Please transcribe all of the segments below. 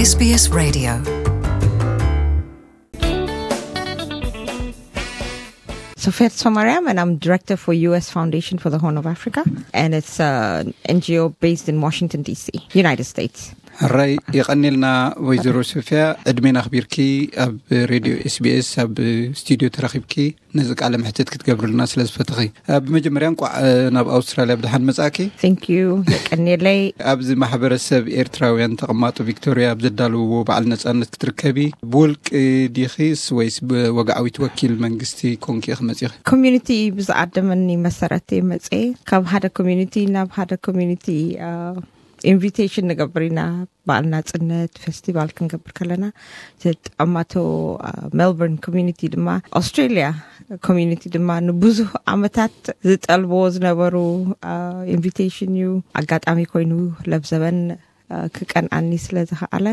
S B S Radio. Sofia Somariam, and I'm director for U S Foundation for the Horn of Africa, and it's an N G O based in Washington, D C, United States. ሕራይ የቐኔልና ወይዘሮ ሶፊያ፣ ዕድሜና ኣኽቢርኪ ኣብ ሬድዮ ኤስቢኤስ ኣብ ስቱዲዮ ተረኺብኪ ነዚ ቃለ መሕትት ክትገብርልና ስለ ዝፈተኺ፣ ብመጀመርያ እንቋዕ ናብ ኣውስትራልያ ብድሓን መጻእኪ። Thank you። የቀኔለይ። ኣብዚ ማሕበረሰብ ኤርትራውያን ተቐማጦ ቪክቶሪያ ኣብ ዘዳለውዎ በዓል ነጻነት ክትርከቢ ብውልቂ ዲኺስ ወይስ ብወግዓዊት ወኪል መንግስቲ ኮንኪ ኢኺ መጺኺ? ኮሚዩኒቲ ብዝኣደመኒ መሰረት እየ መጽኤ። ካብ ሓደ ኮሚዩኒቲ ናብ ሓደ ኮሚዩኒቲ ኢንቪቴሽን ንገብር ኢና። በዓል ናጽነት ፌስቲቫል ክንገብር ከለና፣ ተጠማቶ ሜልበርን ኮሚዩኒቲ ድማ፣ ኣውስትሬልያ ኮሚዩኒቲ ድማ ንብዙሕ ዓመታት ዝጠልብዎ ዝነበሩ ኢንቪቴሽን እዩ። ኣጋጣሚ ኮይኑ ለብዘበን ክቀንኣኒ ስለ ዝኸኣለ፣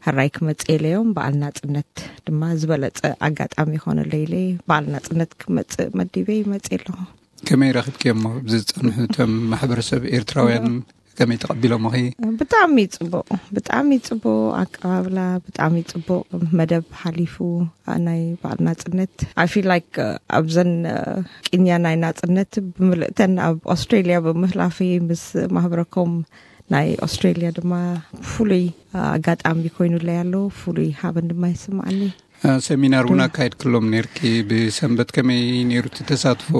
ሕራይ ክመጽእ ኢለዮም። በዓል ናጽነት ድማ ዝበለጸ ኣጋጣሚ ይኾነለይ ኢለ በዓል ናጽነት ክመጽእ መዲበ ይመጽእ ኣለኹ። ከመይ ረኺብክዮሞ? ኣብዚ ዝጸንሑ እቶም ማሕበረሰብ ኤርትራውያን ከመይ ተቐቢሎምኺ? ብጣዕሚ ጽቡቕ፣ ብጣዕሚ ጽቡቕ ኣቀባብላ፣ ብጣዕሚ ጽቡቕ መደብ ሓሊፉ። ናይ በዓል ናጽነት፣ I feel like ኣብዘን ቅንያ ናይ ናጽነት ብምልእተን ኣብ ኣውስትሬልያ ብምህላፊ፣ ምስ ማህበረኮም ናይ ኣውስትሬልያ ድማ ፍሉይ ኣጋጣሚ ኮይኑለይ ኣሎ። ፍሉይ ሃበን ድማ ይስምዓኒ። ሰሚናር እውን ኣካይድክሎም ነርኪ ብሰንበት። ከመይ ነይሩ እቲ ተሳትፎ?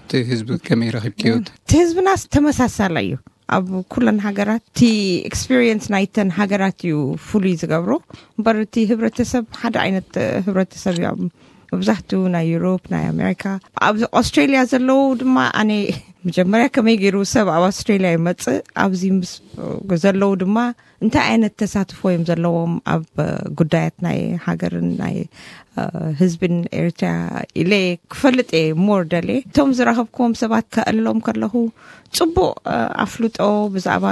እቲ ህዝቢ ከመይ ረኺብክዮ? እቲ ህዝብናስ ተመሳሳላይ እዩ። ኣብ ኩለን ሃገራት እቲ ኤክስፒሪየንስ ናይተን ሃገራት እዩ ፍሉይ ዝገብሮ። እምበር እቲ ህብረተሰብ ሓደ ዓይነት ህብረተሰብ እዮም። መብዛሕትኡ ናይ ዩሮፕ፣ ናይ ኣሜሪካ፣ ኣብ ኣውስትሬልያ ዘለዉ ድማ፣ ኣነ መጀመርያ ከመይ ገይሩ ሰብ ኣብ ኣውስትሬልያ ይመጽእ፣ ኣብዚ ምስ ዘለዉ ድማ እንታይ ዓይነት ተሳትፎ እዮም ዘለዎም ኣብ ጉዳያት ናይ ሃገርን ናይ ህዝብን ኤርትራ ኢለ ክፈልጥ እየ ሞር ደልየ። እቶም ዝረኸብክዎም ሰባት ከእሎም ከለኹ ጽቡቕ ኣፍልጦ ብዛዕባ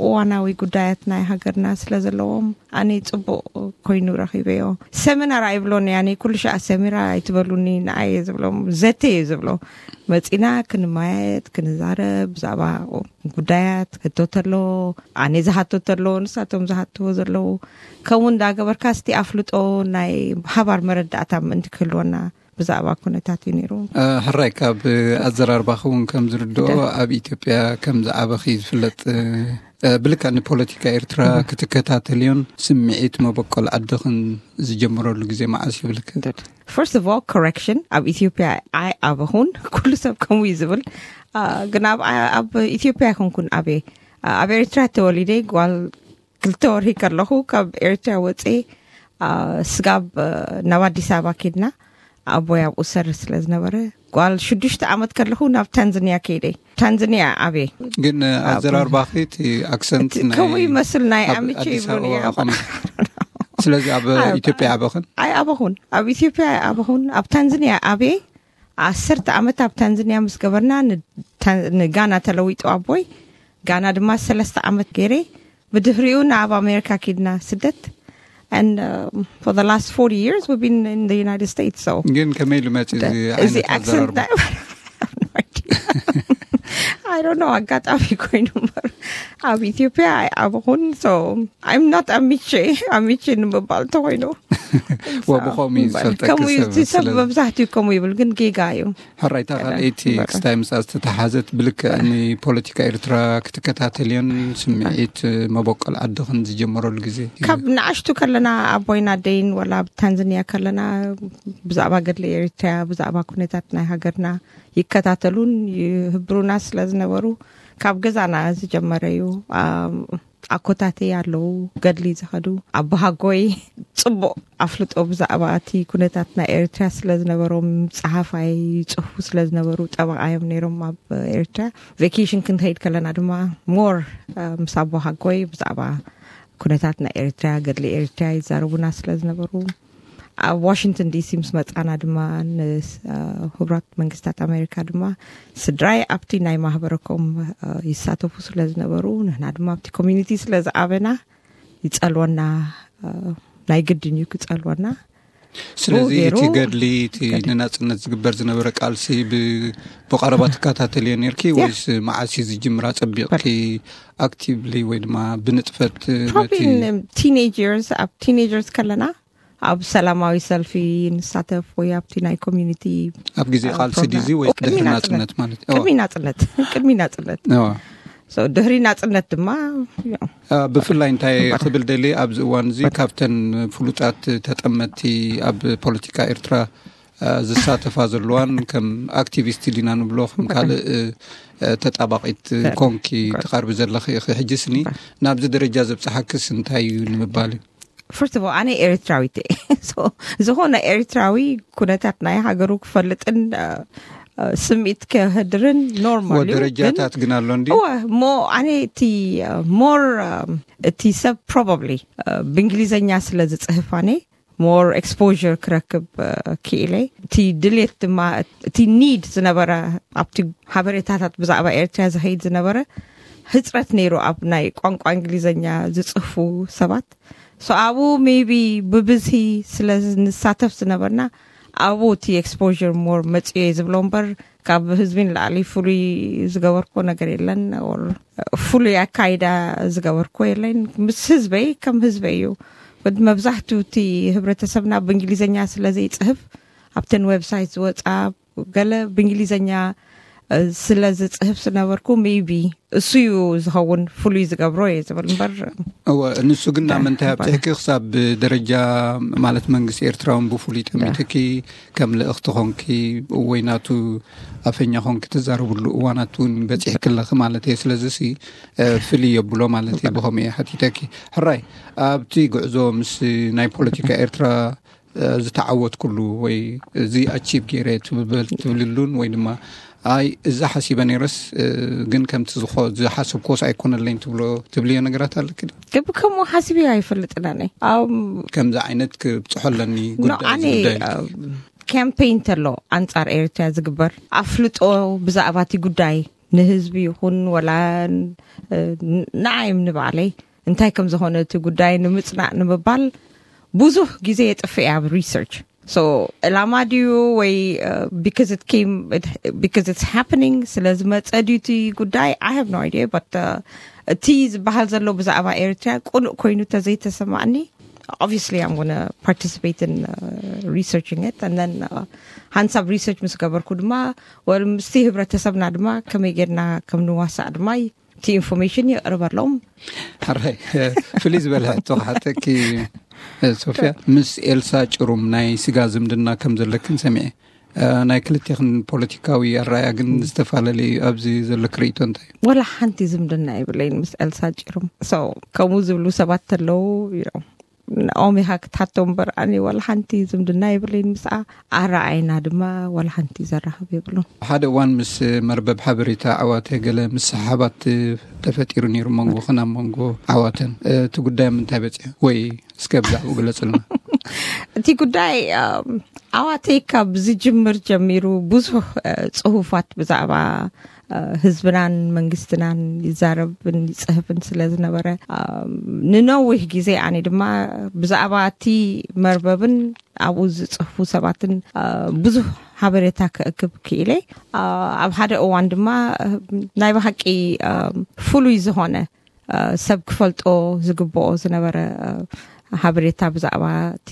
እዋናዊ ጉዳያት ናይ ሃገርና ስለ ዘለዎም፣ ኣነ ጽቡቕ ኮይኑ ረኺበዮ። ሰሚናር ኣይብሎን እየ ኣነ፣ ኩሉ ሻዕ ሰሚራ ኣይትበሉኒ፣ ንዓይ እየ ዝብሎም፣ ዘተ እየ ዝብሎ። መጺና ክንመያየጥ፣ ክንዛረብ፣ ብዛዕባ ጉዳያት፣ ሕቶ ተሎ፣ ኣነ ዝሓቶ ተሎ፣ ንሳቶም ዝሓትዎ ዘለዉ፣ ከምኡ እንዳገበርካ እስቲ ኣፍልጦ ናይ ሓባር መረዳእታ ምእንቲ ክህልወና ብዛዕባ ኩነታት እዩ ነይሩ። ሕራይ፣ ካብ ኣዘራርባኺ እውን ከም ዝርድኦ፣ ኣብ ኢትዮጵያ ከም ዝዓበኺ ዝፍለጥ፣ ብልክዕ ንፖለቲካ ኤርትራ ክትከታተልዮን ስምዒት መበቆል ዓድኽን ዝጀመረሉ ግዜ መዓስ ይብልክ? First of all, correction፣ ኣብ ኢትዮጵያ ኣይዓበኹን። ኩሉ ሰብ ከምኡ እዩ ዝብል። ግን ኣብ ኢትዮጵያ ኣይኮንኩን ዓብየ። ኣብ ኤርትራ ተወሊደ፣ ጓል ክልተ ወርሒ ከለኹ ካብ ኤርትራ ወፅየ፣ ስጋብ ናብ ኣዲስ ኣበባ ኬድና። ኣቦይ ኣብኡ ዝሰርሕ ስለ ዝነበረ፣ ጓል ሽዱሽተ ዓመት ከለኹ ናብ ታንዛንያ ከይደ። ታንዛንያ ዓብየ። ግን ኣዘራርባኺ፣ እቲ ኣክሰንት ከምኡ ይመስል፣ ናይ ኣሚቼ ይብሉን እዮም። ስለዚ ኣብ ኢትዮጵያ ዓበኽን? ኣይዓበኹን። ኣብ ኢትዮጵያ ኣይዓበኹን። ኣብ ታንዛንያ ዓብየ። ዓሰርተ ዓመት ኣብ ታንዛንያ ምስ ገበርና፣ ንጋና ተለዊጡ ኣቦይ። ጋና ድማ ሰለስተ ዓመት ገይረ። ብድሕሪኡ ናብ ኣሜሪካ ኪድና ስደት። And for the last forty years we've been in the United States. So ግን ከመይ ኢሉ መፂ እዚ ዓይነት ኣዘራርባ? I don't know፣ ኣጋጣሚ ኮይኑ እምበር፣ ኣብ ኢትዮጵያ ኣይዓበኹን። So I'm not ኣሚቼ፣ ኣሚቼ ንምባል ተኮይኑ። ወብኸምኡ እዩ ዝፈልጠኪ። ከምኡ እዩ፣ ሰብ እቲ ሰብ መብዛሕትኡ ከምኡ ይብል፣ ግን ጌጋ እዩ። ሕራይታ ካልኣይቲ ክስታይ ምስኣ ዝተተሓዘት፣ ብልክዕ ንፖለቲካ ኤርትራ ክትከታተልዮን ስምዒት መበቆል ዓድኽን ዝጀመረሉ ግዜ? ካብ ንኣሽቱ ከለና ኣቦይን ኣደይን፣ ወላ ኣብ ታንዛንያ ከለና፣ ብዛዕባ ገድሊ ኤርትራ፣ ብዛዕባ ኩነታት ናይ ሃገርና ይከታተሉን ይህብሩና ስለ ዝነበሩ፣ ካብ ገዛና ዝጀመረ እዩ። ኣኮታተይ ኣለዉ፣ ገድሊ ዝኸዱ ኣቦሃጎይ ጽቡቕ ኣፍልጦ ብዛዕባ እቲ ኩነታት ናይ ኤርትራ ስለ ዝነበሮም፣ ጸሓፋይ ይጽሕፉ ስለ ዝነበሩ፣ ጠበቓ እዮም ነይሮም ኣብ ኤርትራ። ቬኬሽን ክንኸይድ ከለና ድማ ሞር ምስ ኣቦሃጎይ ብዛዕባ ኩነታት ናይ ኤርትራ፣ ገድሊ ኤርትራ ይዛረቡና ስለ ዝነበሩ፣ ኣብ ዋሽንግተን ዲሲ ምስ መጻና ድማ፣ ንህቡራት መንግስታት ኣሜሪካ ድማ፣ ስድራይ ኣብቲ ናይ ማህበረኮም ይሳተፉ ስለ ዝነበሩ፣ ንሕና ድማ ኣብቲ ኮሚኒቲ ስለ ዝዓበና፣ ይጸልወና፣ ናይ ግድን እዩ ክጸልወና። ስለዚ ብኡ ገይሩ እቲ ገድሊ እቲ ንናጽነት ዝግበር ዝነበረ ቃልሲ ብ- ብቐረባ ትከታተልዮ ነርኪ? ወይስ መዓስ እዩ ዝጅምር ኣጸቢቕኪ ኣክቲቭሊ ወይ ድማ ብንጥፈት ነቲ ቲኔጀርስ ኣብ ቲኔጀርስ ከለና ኣብ ሰላማዊ ሰልፊ ንሳተፍ ወይ ኣብቲ ናይ ኮሚኒቲ ኣብ ግዜ ቃልሲ ድዚ ወይ ድሕሪ ናጽነት ማለት እዩ? ቅድሚ ናጽነት ቅድሚ ናጽነት ድሕሪ ናጽነት ድማ ብፍላይ እንታይ ክብል ደሊ ኣብዚ እዋን እዚ ካብተን ፍሉጣት ተጠመቲ ኣብ ፖለቲካ ኤርትራ ዝሳተፋ ዘለዋን ከም ኣክቲቪስት ዲና ንብሎ ከም ካልእ ተጣባቂት ኮንኪ ትቐርቢ ዘለኺ ኢኺ። ሕጂ ስኒ ናብዚ ደረጃ ዘብፅሓክስ እንታይ እዩ ንምባል እዩ? First of all ኣነ ኤርትራዊት እየ። ዝኾነ ኤርትራዊ ኩነታት ናይ ሃገሩ ክፈልጥን ስምዒት ከህድርን ኖርማል እዩ። ደረጃታት ግን ኣሎ እንዲ እሞ ኣነ እቲ ሞር እቲ ሰብ ፕሮባብሊ ብእንግሊዝኛ ስለ ዝፅህፍ ኣነ ሞር ኤክስፖር ክረክብ ክኢለ። እቲ ድሌት ድማ እቲ ኒድ ዝነበረ ኣብቲ ሓበሬታታት ብዛዕባ ኤርትራ ዝኸይድ ዝነበረ ህፅረት ነይሩ ኣብ ናይ ቋንቋ እንግሊዝኛ ዝፅህፉ ሰባት። ሶ ኣብኡ ሜቢ ብብዝሂ ስለ ንሳተፍ ዝነበርና ኣብኡ እቲ ኤክስፖር ሞር መፅዮ እየ ዝብሎ እምበር ካብ ህዝቢ ንላዕሊ ፍሉይ ዝገበርኮ ነገር የለን። ፍሉይ ኣካይዳ ዝገበርኮ የለን። ምስ ህዝበይ ከም ህዝበይ እዩ። መብዛሕቱ እቲ ህብረተሰብና ብእንግሊዝኛ ስለ ዘይፅህፍ ኣብተን ዌብሳይት ዝወፃ ገለ ብእንግሊዝኛ ስለ ዝፅህፍ ዝነበርኩ ሜቢ እሱ እዩ ዝኸውን ፍሉይ ዝገብሮ እየ ዝብል እምበር እወ ንሱ ግን ናብ ምንታይ ኣብፅሕኪ ክሳብ ደረጃ ማለት መንግስቲ ኤርትራ እውን ብፍሉይ ጠሚትኪ ከም ልእኽቲ ኮንኪ ወይ ናቱ ኣፈኛ ኮንኪ ትዛረብሉ እዋናት እውን በፂሕኪ ኣለኺ ማለት እየ። ስለዚ ሲ ፍልይ የብሎ ማለት እየ። ብኸምኡ እየ ሓቲተኪ። ሕራይ ኣብቲ ጉዕዞ ምስ ናይ ፖለቲካ ኤርትራ ዝተዓወትኩሉ ወይ እዚ ኣቺቭ ገይረ ትብልሉን ወይ ድማ ኣይ እዛ ሓሲበ ነይረስ ግን ከምቲ ዝሓሰብኮስ ኣይኮነለይን ትብሎ ትብልዮ ነገራት ኣለኪ? ግብ ከምኡ ሓሲበ ኣይፈልጥን ኣነ። ከምዚ ዓይነት ክብፅሖ ኣለኒ ጉዳይ ካምፔይን ተሎ ኣንጻር ኤርትራ ዝግበር ኣፍልጦ ብዛዕባ እቲ ጉዳይ ንህዝቢ ይኹን ወላ ንዓይም ንባዕለይ እንታይ ከም ዝኾነ እቲ ጉዳይ ንምጽናዕ ንምባል ብዙሕ ግዜ የጥፍእ እየ ኣብ ሪሰርች። So ዕላማ ድዩ ወይ because it's happening ስለ ዝመጸ ድዩ እቲ ጉዳይ? I have no idea, but እቲ ዝበሃል ዘሎ ብዛዕባ ኤርትራ ቁኑዕ ኮይኑ ተዘይተሰማዕኒ obviously I'm gonna participate in researching it, and then ሓንሳብ ሪሰርች ምስ ገበርኩ ድማ ወል ምስቲ ህብረተሰብና ድማ ከመይ ጌርና ከም ንዋሳእ ድማ እቲ ኢንፎርሜሽን የቕርበሎም። ሕራይ ፍልይ ዝበለ ሕቶ ክሓተኪ ሶፍያ፣ ምስ ኤልሳ ጭሩም ናይ ስጋ ዝምድና ከም ዘለክን ሰሚዐ። ናይ ክልቴኽን ፖለቲካዊ ኣረኣያ ግን ዝተፈላለዩ ኣብዚ ዘለክ ርእይቶ እንታይ እዩ? ወላ ሓንቲ ዝምድና የብለይን ምስ ኤልሳ ጭሩም። ከምኡ ዝብሉ ሰባት ተለዉ እዮም ንኦም ኢኻ ክትሓቶ እምበር ኣነ ዋላ ሓንቲ ዝምድና የብለይን ምስኣ። ኣረኣይና ድማ ዋላ ሓንቲ ዘራኽብ የብሉን። ሓደ እዋን ምስ መርበብ ሓበሬታ ዓዋተ ገለ ምስሕሓባት ተፈጢሩ ነይሩ መንጎኽን ኣብ መንጎ ዓዋተን። እቲ ጉዳይ ኣብ ምንታይ በፂሑ ወይ እስከ ብዛዕባኡ ግለፅልና። እቲ ጉዳይ ዓዋተይ ካብ ዝጅምር ጀሚሩ ብዙሕ ፅሁፋት ብዛዕባ ህዝብናን መንግስትናን ይዛረብን ይፅህፍን ስለ ዝነበረ ንነዊሕ ግዜ ኣነ ድማ ብዛዕባ እቲ መርበብን ኣብኡ ዝፅህፉ ሰባትን ብዙሕ ሓበሬታ ክእክብ ክኢለ። ኣብ ሓደ እዋን ድማ ናይ ብሓቂ ፍሉይ ዝኾነ ሰብ ክፈልጦ ዝግብኦ ዝነበረ ሓበሬታ ብዛዕባ እቲ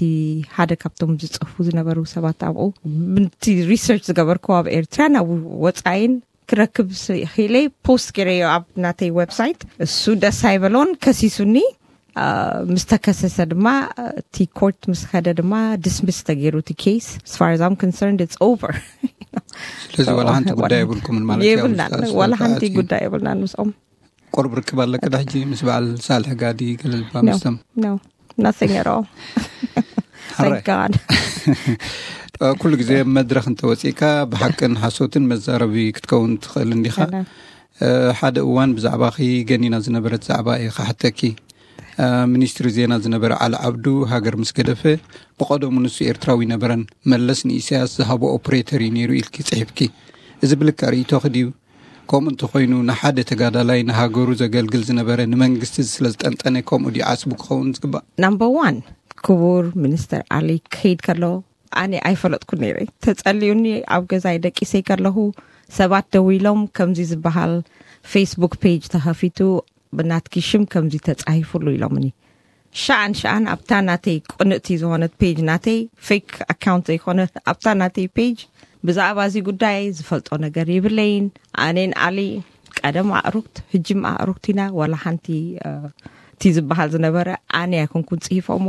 ሓደ ካብቶም ዝፅህፉ ዝነበሩ ሰባት ኣብኡ ብቲ ሪሰርች ዝገበርኩ ኣብ ኤርትራ ናብ ወፃኢን ክረክብ ክኢለ ፖስት ገይረዮ ኣብ ናተይ ዌብሳይት። እሱ ደስ ኣይበሎን ከሲሱኒ። ምስ ተከሰሰ ድማ እቲ ኮርት ምስ ከደ ድማ ዲስሚስ ተገይሩ እቲ ኬስ። As far as I'm concerned it's over። ስለዚ ዋላ ሓንቲ ጉዳይ የብልኩምን ማለት የብልናን። ዋላ ሓንቲ ጉዳይ የብልናን ምስኦም። ቁርብ ርክብ ኣለክ ዳ ሕጂ ምስ በዓል ሳልሕ ጋዲ ገለልባ ምስቶም? No, nothing at all. Thank God. ኩሉ ግዜ መድረክ እንተወፂእካ ብሓቅን ሓሶትን መዛረቢ ክትከውን ትኽእል እንዲኻ። ሓደ እዋን ብዛዕባኺ ገኒና ዝነበረት ዛዕባ እየ ክሓተኪ። ሚኒስትሪ ዜና ዝነበረ ዓሊ ዓብዱ ሃገር ምስ ገደፈ ብቐደሙ ንሱ ኤርትራዊ ነበረን መለስ ንኢሳያስ ዝሃቦ ኦፕሬተር እዩ ነይሩ ኢልኪ ጽሒፍኪ። እዚ ብልክዕ ርእይቶኺ ድዩ? ከምኡ እንተኾይኑ ንሓደ ተጋዳላይ ንሃገሩ ዘገልግል ዝነበረ ንመንግስቲ ስለዝጠንጠነ ከምኡ ድዩ ዓስቡ ክኸውን ዝግባእ? ናምበር ዋን ክቡር ሚኒስተር ኣሊ ክኸይድ ከሎ ኣነ ኣይፈለጥኩ ነይረ። ተጸልዩኒ ኣብ ገዛይ ደቂሰይ ከለኹ ሰባት ደው ኢሎም ከምዚ ዝበሃል ፌስቡክ ፔጅ ተኸፊቱ ብናትኪ ሽም ከምዚ ተጻሂፉሉ ኢሎምኒ። ሸኣን ሸኣን ኣብታ ናተይ ቅንእቲ ዝኾነት ፔጅ ናተይ ፌክ ኣካውንት ዘይኮነ ኣብታ ናተይ ፔጅ ብዛዕባ እዚ ጉዳይ ዝፈልጦ ነገር የብለይን። ኣኔን ኣሊ ቀደም ኣእሩክት ህጅም ኣእሩክት ኢና። ዋላ ሓንቲ እቲ ዝበሃል ዝነበረ ኣነ ኣይኮንኩን ጽሂፎሞ።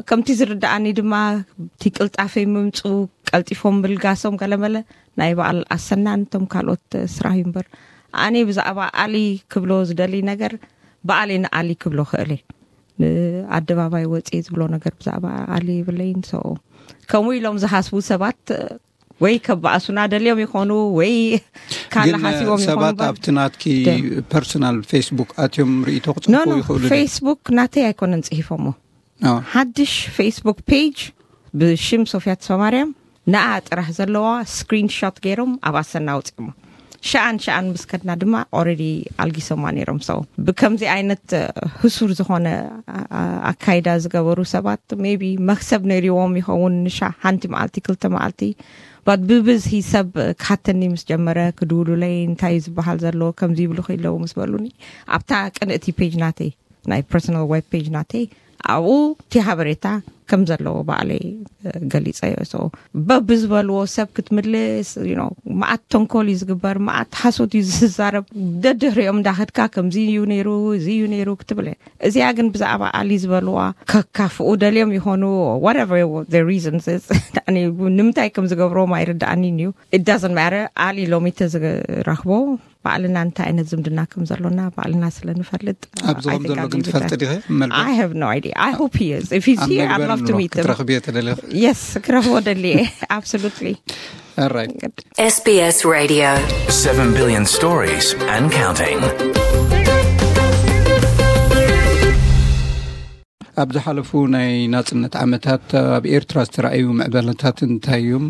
ከምቲ ዝርዳኣኒ ድማ እቲ ቅልጣፈይ ምምፁ ቀልጢፎም ምልጋሶም ገለመለ ናይ በዓል ኣሰናን እቶም ካልኦት ስራሕ እዩ እምበር ኣነ ብዛዕባ ኣሊ ክብሎ ዝደሊ ነገር ብኣሌ ንኣሊ ክብሎ ክእለ ንኣደባባይ ወፅየ ዝብሎ ነገር ብዛዕባ ኣሊ የብለይን። ከምኡ ኢሎም ዝሃስቡ ሰባት ወይ ከባእሱና ደልዮም ይኾኑ ወይ ካልእ ሓሲቦም ይኾኑ ሰባት እምበር ኣብቲ ናትኪ ደ- ፐርሶናል ፌስቡክ ኣትዮም ርኢቶ ኖ ክፅሕፉ ኖ ይኽእሉ ድዮም? ፌስቡክ ናተይ ኣይኮነን ፅሒፎሞ። አዎ። ሓድሽ ፌስቡክ ፔጅ ብሽም ሶፊያ ተስፋማርያም ንኣ ጥራሕ ዘለዋ ስክሪንሾት ገይሮም ኣብ ኣሰና ኣውፅኦሞ። ሸኣን ሸኣን ምስ ከድና ድማ ኦረዲ ኣልጊሶማ ነይሮም። ሰው ብከምዚ ዓይነት ህሱር ዝኾነ ኣካይዳ ዝገበሩ ሰባት ሜቢ መክሰብ ነይርዎም ይኸውን። ንሻ ሓንቲ መዓልቲ ክልተ መዓልቲ ባት ብብዝሂ ሰብ ክሓተኒ ምስ ጀመረ ክድውሉለይ እንታይ እዩ ዝበሃል ዘሎ ከምዚ ይብሉ ከይለዉ ምስ በሉኒ ኣብታ ቅንእቲ ፔጅ ናተይ ናይ ፐርሶናል ዌብ ፔጅ ናተይ ኣብኡ እቲ ሓበሬታ ከም ዘለዎ ባዕለይ ገሊፀዮ። በብዝበልዎ ሰብ ክትምልስ መዓት ተንኮል እዩ ዝግበር፣ መዓት ሓሶት እዩ ዝዛረብ። ደድህሪኦም እንዳኸድካ ከምዚ እዩ ነይሩ፣ እዚ እዩ ነይሩ ክትብል። እዚኣ ግን ብዛዕባ ኣሊ ዝበልዋ ከካፍኡ ደልዮም ይኾኑ whatever reasons ንምንታይ ከም ዝገብርዎም ኣይርዳኣኒን እዩ። It doesn't matter። ኣሊ ሎሚ ተዝረኽቦ ባዕልና እንታይ ዓይነት ዝምድና ከም ዘሎና ባዕልና ስለ ንፈልጥ ኣብዚ ከም ዘሎ ግን ትፈልጢ ዲኸ? መልባ I have no idea. I hope he is. If he's here, I'd love to meet him. ክትረኽብዮ ተደሊኺ? Yes, ክረኽቦ ደልየ። Absolutely. All right. S B S Radio. Seven billion stories and counting. ኣብ ዝሓለፉ ናይ ናጽነት ዓመታት ኣብ ኤርትራ ዝተረኣዩ ምዕባለታት እንታይ እዮም?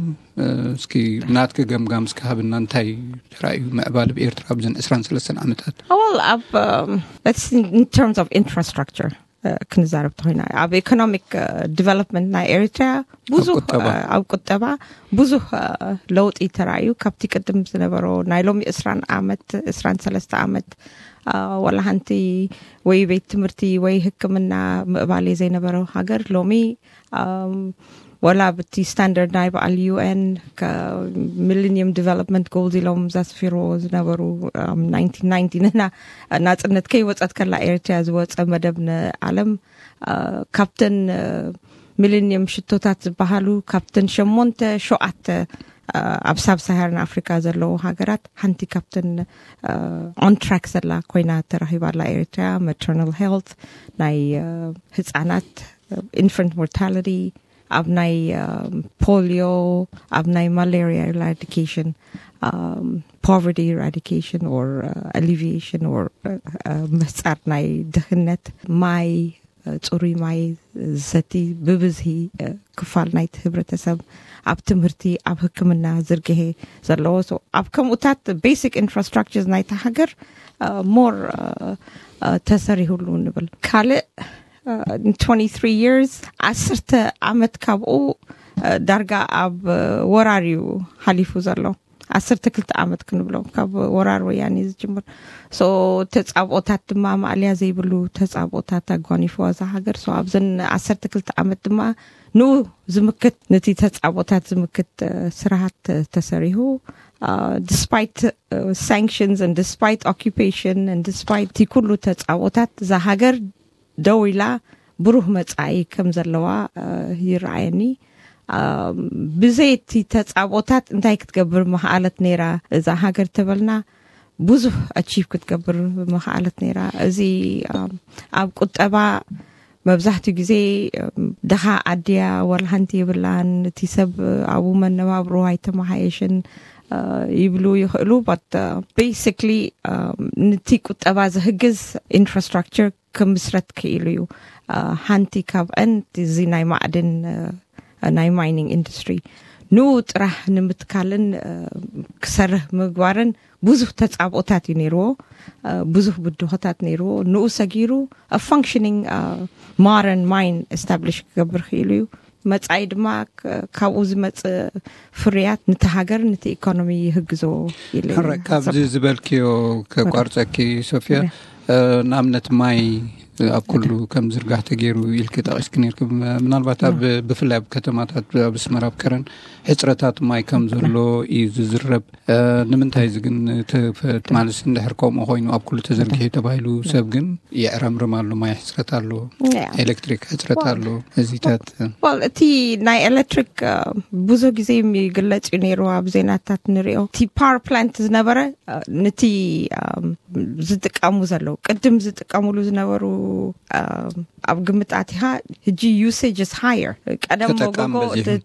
እስኪ ናትኪ ገምጋም እስኪ ሃብና። እንታይ ተራእዩ ምዕባለ ኣብ ኤርትራ ኣብዘን ዕስራን ሰለስተን ዓመታት? Well, ኣብ um, let's in terms of infrastructure ክንዛረብ ተኮይና ኣብ ኢኮኖሚክ ዲቨሎፕመንት ናይ ኤሪትሪያ ብዙ ኣብ ቁጠባ ብዙ ለውጢ ተራእዩ። ካብቲ ቅድም ዝነበሮ ናይ ሎሚ ዕስራን ዓመት ዕስራን ሰለስተ ዓመት ዋላ ሓንቲ ወይ ቤት ትምህርቲ ወይ ህክምና ምእባሌ ዘይነበረ ሃገር ሎሚ ወላ ብቲ ስታንደርድ ናይ በዓል ዩ ኤን ሚሊኒየም ዲቨሎፕመንት ጎልስ ኢሎም ዘስፊርዎ ዝነበሩ ንና ናፅነት ከይወፀት ከላ ኤርትሪያ ዝወፀ መደብ ንዓለም ካብተን ሚሊኒየም ሽቶታት ዝበሃሉ ካብተን ሸሞንተ ሸውዓተ ኣብ ሳብ ሳሃርን ኣፍሪካ ዘለዉ ሃገራት ሓንቲ ካብተን ኦንትራክ ዘላ ኮይና ተራኺባላ ኤርትሪያ። ማተርናል ሄልት ናይ ህፃናት ኢንፈንት ሞርታሊቲ ኣብ ናይ ፖሊዮ ኣብ ናይ ማላሪያ ኢራዲኬሽን ፖቨርቲ ኢራዲኬሽን ኦር ኣሊቪሽን ኦር ምህፃር ናይ ድህነት ማይ ፅሩይ ማይ ዝሰቲ ብብዝሂ ክፋል ናይቲ ህብረተሰብ ኣብ ትምህርቲ ኣብ ህክምና ዝርግሄ ዘለዎ ኣብ ከምኡታት ቤሲክ ኢንፍራስትራክቸር ናይታ ሃገር ሞር ተሰሪሁሉ ንብል። ካልእ twenty-three years ዓሰርተ ዓመት ካብኡ ዳርጋ ኣብ ወራር እዩ ሓሊፉ ዘሎ። ዓሰርተ ክልተ ዓመት ክንብሎ ካብ ወራር ወያኔ ዝጅምር። ተፃብኦታት ድማ ማእልያ ዘይብሉ ተፃብኦታት ኣጓኒፍዋ እዛ ሃገር። ኣብዘን ዓሰርተ ክልተ ዓመት ድማ ንኡ ዝምክት ነቲ ተፃብኦታት ዝምክት ስራሃት ተሰሪሁ። Despite sanctions and despite occupation and despite እቲ ኩሉ ተፃብኦታት እዛ ሃገር ደው ኢላ ብሩህ መፃኢ ከም ዘለዋ ይረኣየኒ። ብዘይ እቲ ተፃብኦታት እንታይ ክትገብር መኽኣለት ነይራ እዛ ሃገር ተበልና ብዙሕ ኣቺቭ ክትገብር መኽኣለት ነይራ። እዚ ኣብ ቁጠባ መብዛሕትኡ ግዜ ድኻ ኣድያ ዋላ ሓንቲ የብላን፣ እቲ ሰብ ኣብኡ መነባብሮ ኣይተመሓየሽን ይብሉ ይኽእሉ። But basically ንቲ ቁጠባ ዝህግዝ ኢንፍራስትራክቸር ክምስረት ክኢሉ እዩ። ሓንቲ ካብአን እዚ ናይ ማዕድን ናይ ማይኒንግ ኢንዱስትሪ ንኡ ጥራሕ ንምትካልን ክሰርህ ምግባርን ብዙሕ ተጻብኦታት እዩ ነይርዎ። ብዙሕ ብድሆታት ነይርዎ። ንኡ ሰጊሩ functioning modern mine establish ክገብር ክኢሉ እዩ። መጻኢ ድማ ካብኡ ዝመጽእ ፍርያት ነቲ ሃገር ነቲ ኢኮኖሚ ይህግዞ ኢለ። ሕራይ ካብዚ ዝበልክዮ ከቋርጸኪ ሶፊያ፣ ንኣብነት ማይ ኣብ ኩሉ ከም ዝርጋሕ ተገይሩ ኢልኪ ጠቒስኪ ነርኪ። ምናልባት ኣብ ብፍላይ ኣብ ከተማታት ኣብ ኣስመራ ኣብ ከረን ሕጽረታት ማይ ከም ዘሎ እዩ ዝዝረብ። ንምንታይ እዚ ግን ማለት እንድሕር ከምኡ ኮይኑ ኣብ ኩሉ ተዘርጊሑ ተባሂሉ ሰብ ግን ይዕረምርም ኣሎ። ማይ ሕጽረት ኣሎ፣ ኤሌክትሪክ ሕጽረት ኣሎ። እዚታት well እቲ ናይ ኤሌክትሪክ ብዙሕ ግዜ ይግለጽ እዩ ነይሩ ኣብ ዜናታት ንሪኦ። እቲ ፓወር ፕላንት ዝነበረ ነቲ ዝጥቀሙ ዘለዉ ቅድም ዝጥቀሙሉ ዝነበሩ ኣብ ግምት ኣቲኻ ሕጂ usage is higher። ቀደም ሞጎጎ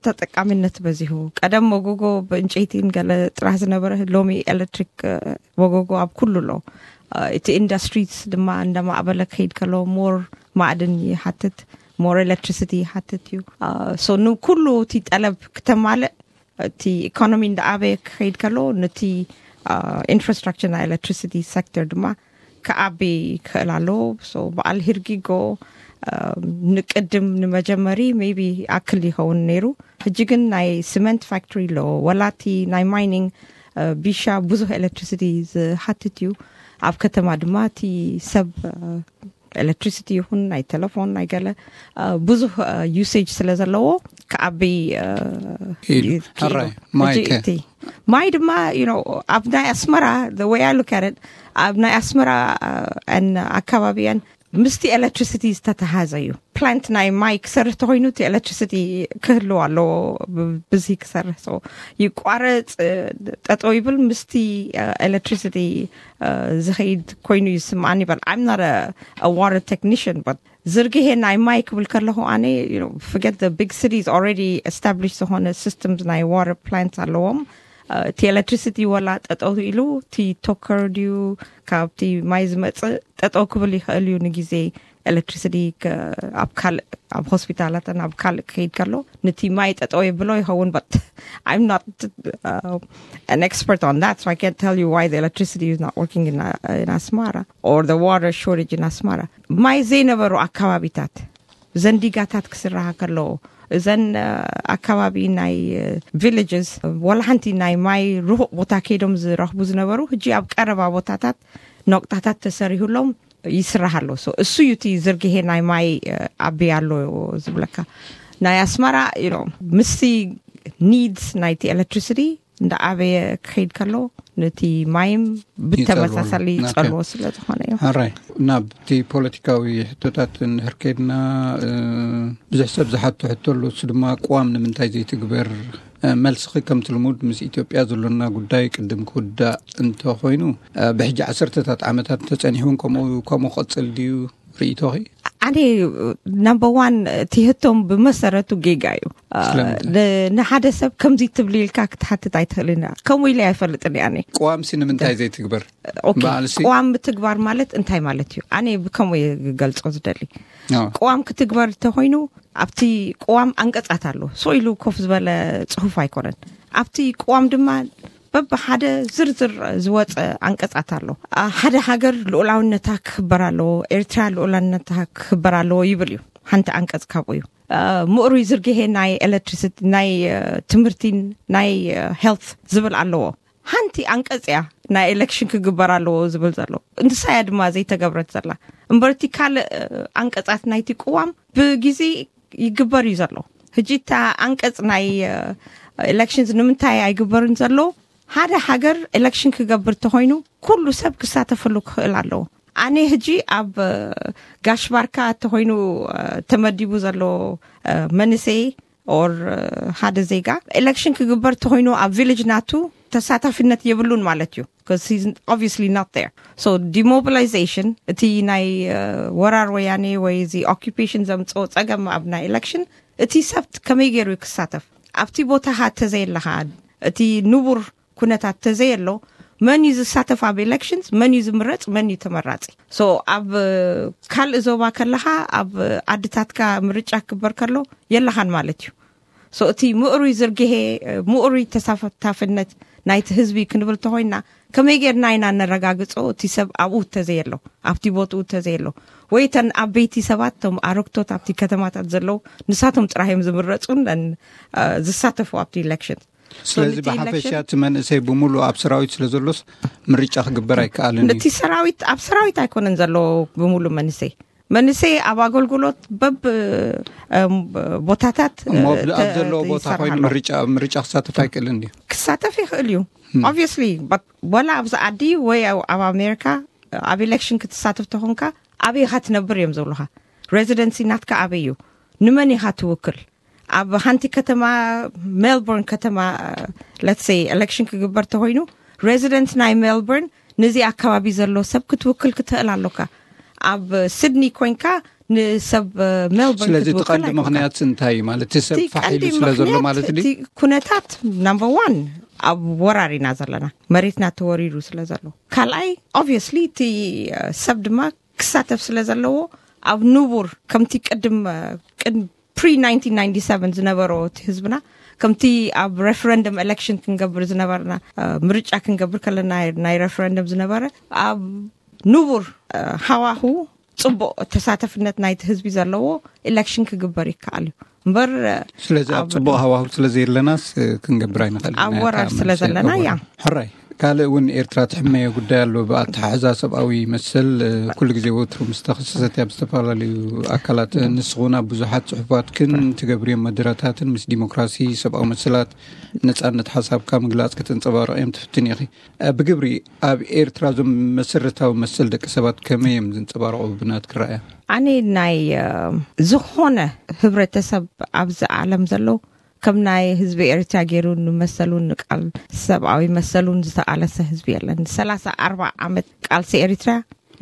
ተጠቃሚነት በዚሁ። ቀደም ሞጎጎ ብእንጨይቲን ገለ ጥራሕ ዝነበረ ሎሚ ኤሌክትሪክ ሞጎጎ ኣብ ኩሉ ኣሎ። እቲ ኢንዱስትሪስ ድማ እንደማዕበለ ክኸይድ ከሎ more ማዕድን ይሓትት፣ more electricity ይሓትት እዩ። So ንኩሉ እቲ ጠለብ ክተማልእ እቲ ኢኮኖሚ እንዳኣበየ ክኸይድ ከሎ ነቲ ኢንፍራስትራክቸር ናይ ኤሌክትሪሲቲ ሴክተር ድማ ክዓቢ ክኽእል ኣለዎ። So በዓል ሂርጊጎ ንቅድም ንመጀመሪ maybe ኣክል ይኸውን ነይሩ። ሕጂ ግን ናይ ሲመንት ፋክቶሪ ኣለዎ። ወላ እቲ ናይ ማይኒንግ ቢሻ ብዙሕ ኤሌክትሪሲቲ ዝሓትት እዩ። ኣብ ከተማ ድማ እቲ ሰብ ኤሌክትሪሲቲ ይኹን ናይ ቴሌፎን ናይ ገለ ብዙሕ usage ስለ ዘለዎ ክዓቢ ማይ ድማ you know ኣብ ናይ ኣስመራ the way I look at it ኣብ ናይ ኣስመራ ኣካባቢያን ምስቲ ኤሌክትሪሲቲ ዝተተሓዘ እዩ። ፕላንት ናይ ማይ ክሰርሕ ተኮይኑ እቲ ኤሌክትሪሲቲ ክህልው ኣለዎ። ብዚ ክሰርሕ ይቋረፅ ጠጠው ይብል ምስቲ ኤሌክትሪሲቲ ዝኸይድ ኮይኑ ይስምዓኒ ይበል። I'm not a water technician but ዝርግሄ ናይ ማይ ክብል ከለኹ ኣነ forget the big cities already established ዝኾነ systems ናይ water plants ኣለዎም። እቲ ኤሌክትሪሲቲ ወላ ጠጠው ኢሉ እቲ ቶከር ድዩ ካብቲ ማይ ዝመፅእ ጠጠው ክብል ይኽእል እዩ ንግዜ ኤሌክትሪሲቲ ኣብ ካልእ ኣብ ሆስፒታላትን ኣብ ካልእ ክኸይድ ከሎ ነቲ ማይ ጠጠው የብሎ ይኸውን but I'm not an expert on that so I can't tell you why the electricity is not working in, in Asmara or the water shortage in Asmara. ማይ ዘይነበሩ ኣካባቢታት ዘንዲጋታት ክስራሃ ከለዎ እዘን ኣካባቢ ናይ villages ወላ ሓንቲ ናይ ማይ ርሁቕ ቦታ ከይዶም ዝረኽቡ ዝነበሩ ሕጂ ኣብ ቀረባ ቦታታት ነቁጣታት ተሰሪሁሎም ይስራሕ ኣሎ። እሱ እዩ እቲ ዝርግሄ ናይ ማይ ዓቢ ኣሎ ዝብለካ። ናይ ኣስመራ ምስቲ ኒድስ ናይቲ ኤሌክትሪሲቲ እንዳዓበየ ክኸይድ ከሎ ነቲ ማይም ብተመሳሳሊ ይጸልዎ ስለ ዝኾነ እዩ። ሕራይ ናብቲ ፖለቲካዊ ሕቶታት እንድሕር ከይድና ብዙሕ ሰብ ዝሓቶ ሕቶ ኣሎ። እሱ ድማ ቅዋም ንምንታይ ዘይትግበር? መልስኺ ከምቲ ልሙድ ምስ ኢትዮጵያ ዘሎና ጉዳይ ቅድም ክውዳእ እንተኾይኑ ብሕጂ ዓሰርተታት ዓመታት ተጸኒሑ እውን ከምኡ ከምኡ ክቕጽል ድዩ ርእይቶኺ? ኣነ ናምበር ዋን እቲ ህቶም ብመሰረቱ ጌጋ እዩ። ንሓደ ሰብ ከምዚ ትብሊ ኢልካ ክትሓትት ኣይትኽእልን። ከምኡ ኢለ ኣይፈልጥን። ኣነ ቅዋምሲ ንምንታይ ዘይትግበር? ቅዋም ምትግባር ማለት እንታይ ማለት እዩ? ኣነ ብከምኡ እየ ክገልጾ ዝደሊ። ቅዋም ክትግበር እንተኮይኑ ኣብቲ ቅዋም ኣንቀጻት ኣሎ። ስቕ ኢሉ ኮፍ ዝበለ ጽሑፍ ኣይኮነን። ኣብቲ ቅዋም ድማ በብሓደ ዝርዝር ዝወፀ ኣንቀጻት ኣሎ። ሓደ ሃገር ልኡላውነታ ክኽበር ኣለዎ፣ ኤርትራ ልኡላውነታ ክኽበር ኣለዎ ይብል እዩ። ሓንቲ ኣንቀጽ ካብኡ እዩ። ምእሩይ ዝርግሄ ናይ ኤሌክትሪሲቲ ናይ ትምህርቲን ናይ ሄልት ዝብል ኣለዎ። ሓንቲ ኣንቀጽ እያ ናይ ኤሌክሽን ክግበር ኣለዎ ዝብል ዘሎ። ንሳ እያ ድማ ዘይተገብረት ዘላ። እምበርቲ ካልእ ኣንቀጻት ናይቲ ቅዋም ብግዜ ይግበር እዩ ዘሎ። ሕጂ እታ ኣንቀጽ ናይ ኤሌክሽንስ ንምንታይ ኣይግበርን ዘሎ? ሓደ ሃገር ኤሌክሽን ክገብር ተኾይኑ ኩሉ ሰብ ክሳተፈሉ ክኽእል ኣለዎ። ኣነ ሕጂ ኣብ ጋሽ ባርካ ተኾይኑ ተመዲቡ ዘሎ መንእሰይ ኦር ሓደ ዜጋ ኤሌክሽን ክግበር ተኾይኑ ኣብ ቪሌጅ ናቱ ተሳታፊነት የብሉን ማለት እዩ። Obviously not there. So demobilization እቲ ናይ ወራር ወያኔ ወይ እዚ ኦኪፔሽን ዘምፅኦ ፀገም ኣብ ናይ ኤሌክሽን እቲ ሰብ ከመይ ገይሩ ክሳተፍ ኣብቲ ቦታኻ ተዘየለኻ እቲ ንቡር ኩነታት ተዘየሎ መን እዩ ዝሳተፍ ኣብ ኤሌክሽንስ መን እዩ ዝምረፅ መን እዩ ተመራፂ? So ኣብ ካልእ ዞባ ከለኻ ኣብ ዓድታትካ ምርጫ ክግበር ከሎ የለኻን ማለት እዩ። So እቲ ምእሩይ ዝርግሄ፣ ምእሩይ ተሳታፍነት ናይቲ ህዝቢ ክንብል ተኾይና፣ ከመይ ጌርና ኢና ነረጋግጾ? እቲ ሰብ ኣብኡ እንተዘየሎ፣ ኣብቲ ቦትኡ እንተዘየሎ፣ ወይ እተን ዓበይቲ ሰባት፣ እቶም ኣረግቶት ኣብቲ ከተማታት ዘለዉ፣ ንሳቶም ጥራሕ እዮም ዝምረጹን ዝሳተፉ ኣብቲ ኢሌክሽን። ስለዚ ብሓፈሻ እቲ መንእሰይ ብምሉእ ኣብ ሰራዊት ስለ ዘሎስ ምርጫ ክግበር ኣይከኣልን። እቲ ሰራዊት፣ ኣብ ሰራዊት ኣይኮነን ዘሎ ብምሉእ መንእሰይ። መንእሰይ ኣብ ኣገልግሎት በብ ቦታታት ኣብ ዘለዎ ቦታ ኮይኑ ምርጫ ክሳተፍ ኣይክእልን ድዩ? ክሳተፍ ይኽእል እዩ። ኦብቪየስሊ፣ ወላ ኣብዚ ዓዲ ወይ ኣብ ኣሜሪካ ኣብ ኢሌክሽን ክትሳተፍ ተኾንካ፣ ኣበይ ኢኻ ትነብር እዮም ዝብሉኻ። ሬዚደንሲ ናትካ ኣበይ እዩ? ንመን ኢኻ ትውክል? ኣብ ሓንቲ ከተማ፣ ሜልቦርን ከተማ፣ let's say ኤሌክሽን ክግበር ተኾይኑ፣ ሬዚደንት ናይ ሜልቦርን፣ ነዚ ኣከባቢ ዘሎ ሰብ ክትውክል ክትኽእል ኣሎካ። ኣብ ሲድኒ ኮይንካ ንሰብ ሜልቦርን ክትውክል ኣይኮንካ። ስለዚ እቲ ቀንዲ ምኽንያት እንታይ እዩ? ማለት እቲ ሰብ ፋሕ ኢሉ ስለ ዘሎ ማለት ድዩ? እቲ ኩነታት ናምበር ዋን ኣብ ወራር ኢና ዘለና፣ መሬትና ተወሪሩ ስለ ዘሎ። ካልኣይ፣ ኦብቪየስሊ እቲ ሰብ ድማ ክሳተፍ ስለ ዘለዎ፣ ኣብ ንቡር ከምቲ ቅድም ቅድም ፕሪ ናይንቲን ናይንቲ ሰቨን ዝነበሮ እቲ ህዝብና፣ ከምቲ ኣብ ሬፈረንደም ኤሌክሽን ክንገብር ዝነበርና፣ ምርጫ ክንገብር ከለና ናይ ሬፈረንደም ዝነበረ፣ ኣብ ንቡር ሃዋሁ ጽቡቕ ተሳተፍነት ናይቲ ህዝቢ ዘለዎ ኢሌክሽን ክግበር ይከኣል እዩ እምበር። ስለዚ ኣብ ጽቡቕ ሃዋሁ ስለ ዘየለናስ ክንገብር ኣይንኽእል። ኣብ ወራር ስለ ዘለና። ያ ሕራይ። ካልእ እውን ኤርትራ ትሕመዮ ጉዳይ ኣሎ። ብኣተሓሕዛ ሰብኣዊ መሰል፣ ኩሉ ግዜ ወትሩ ምስ ተኸሰሰት ኣብ ዝተፈላለዩ ኣካላት፣ ንስኹን ኣብ ብዙሓት ጽሑፋትክን ትገብርዮም መደረታትን ምስ ዲሞክራሲ፣ ሰብኣዊ መሰላት፣ ነጻነት ሓሳብካ ምግላጽ ከተንጸባርቕዮም ትፍትን ኢኺ። ብግብሪ ኣብ ኤርትራ እዞም መሰረታዊ መሰል ደቂ ሰባት ከመይ እዮም ዝንጸባረቑ ብናትኪ ረኣያ? ኣነ ናይ ዝኾነ ህብረተሰብ ኣብዚ ዓለም ዘሎ ከም ናይ ህዝቢ ኤርትራ ገይሩ ንመሰሉን ንቃል ሰብኣዊ መሰሉን ዝተቃለሰ ህዝቢ የለን። ሰላሳ ኣርባ ዓመት ቃልሲ ኤርትራ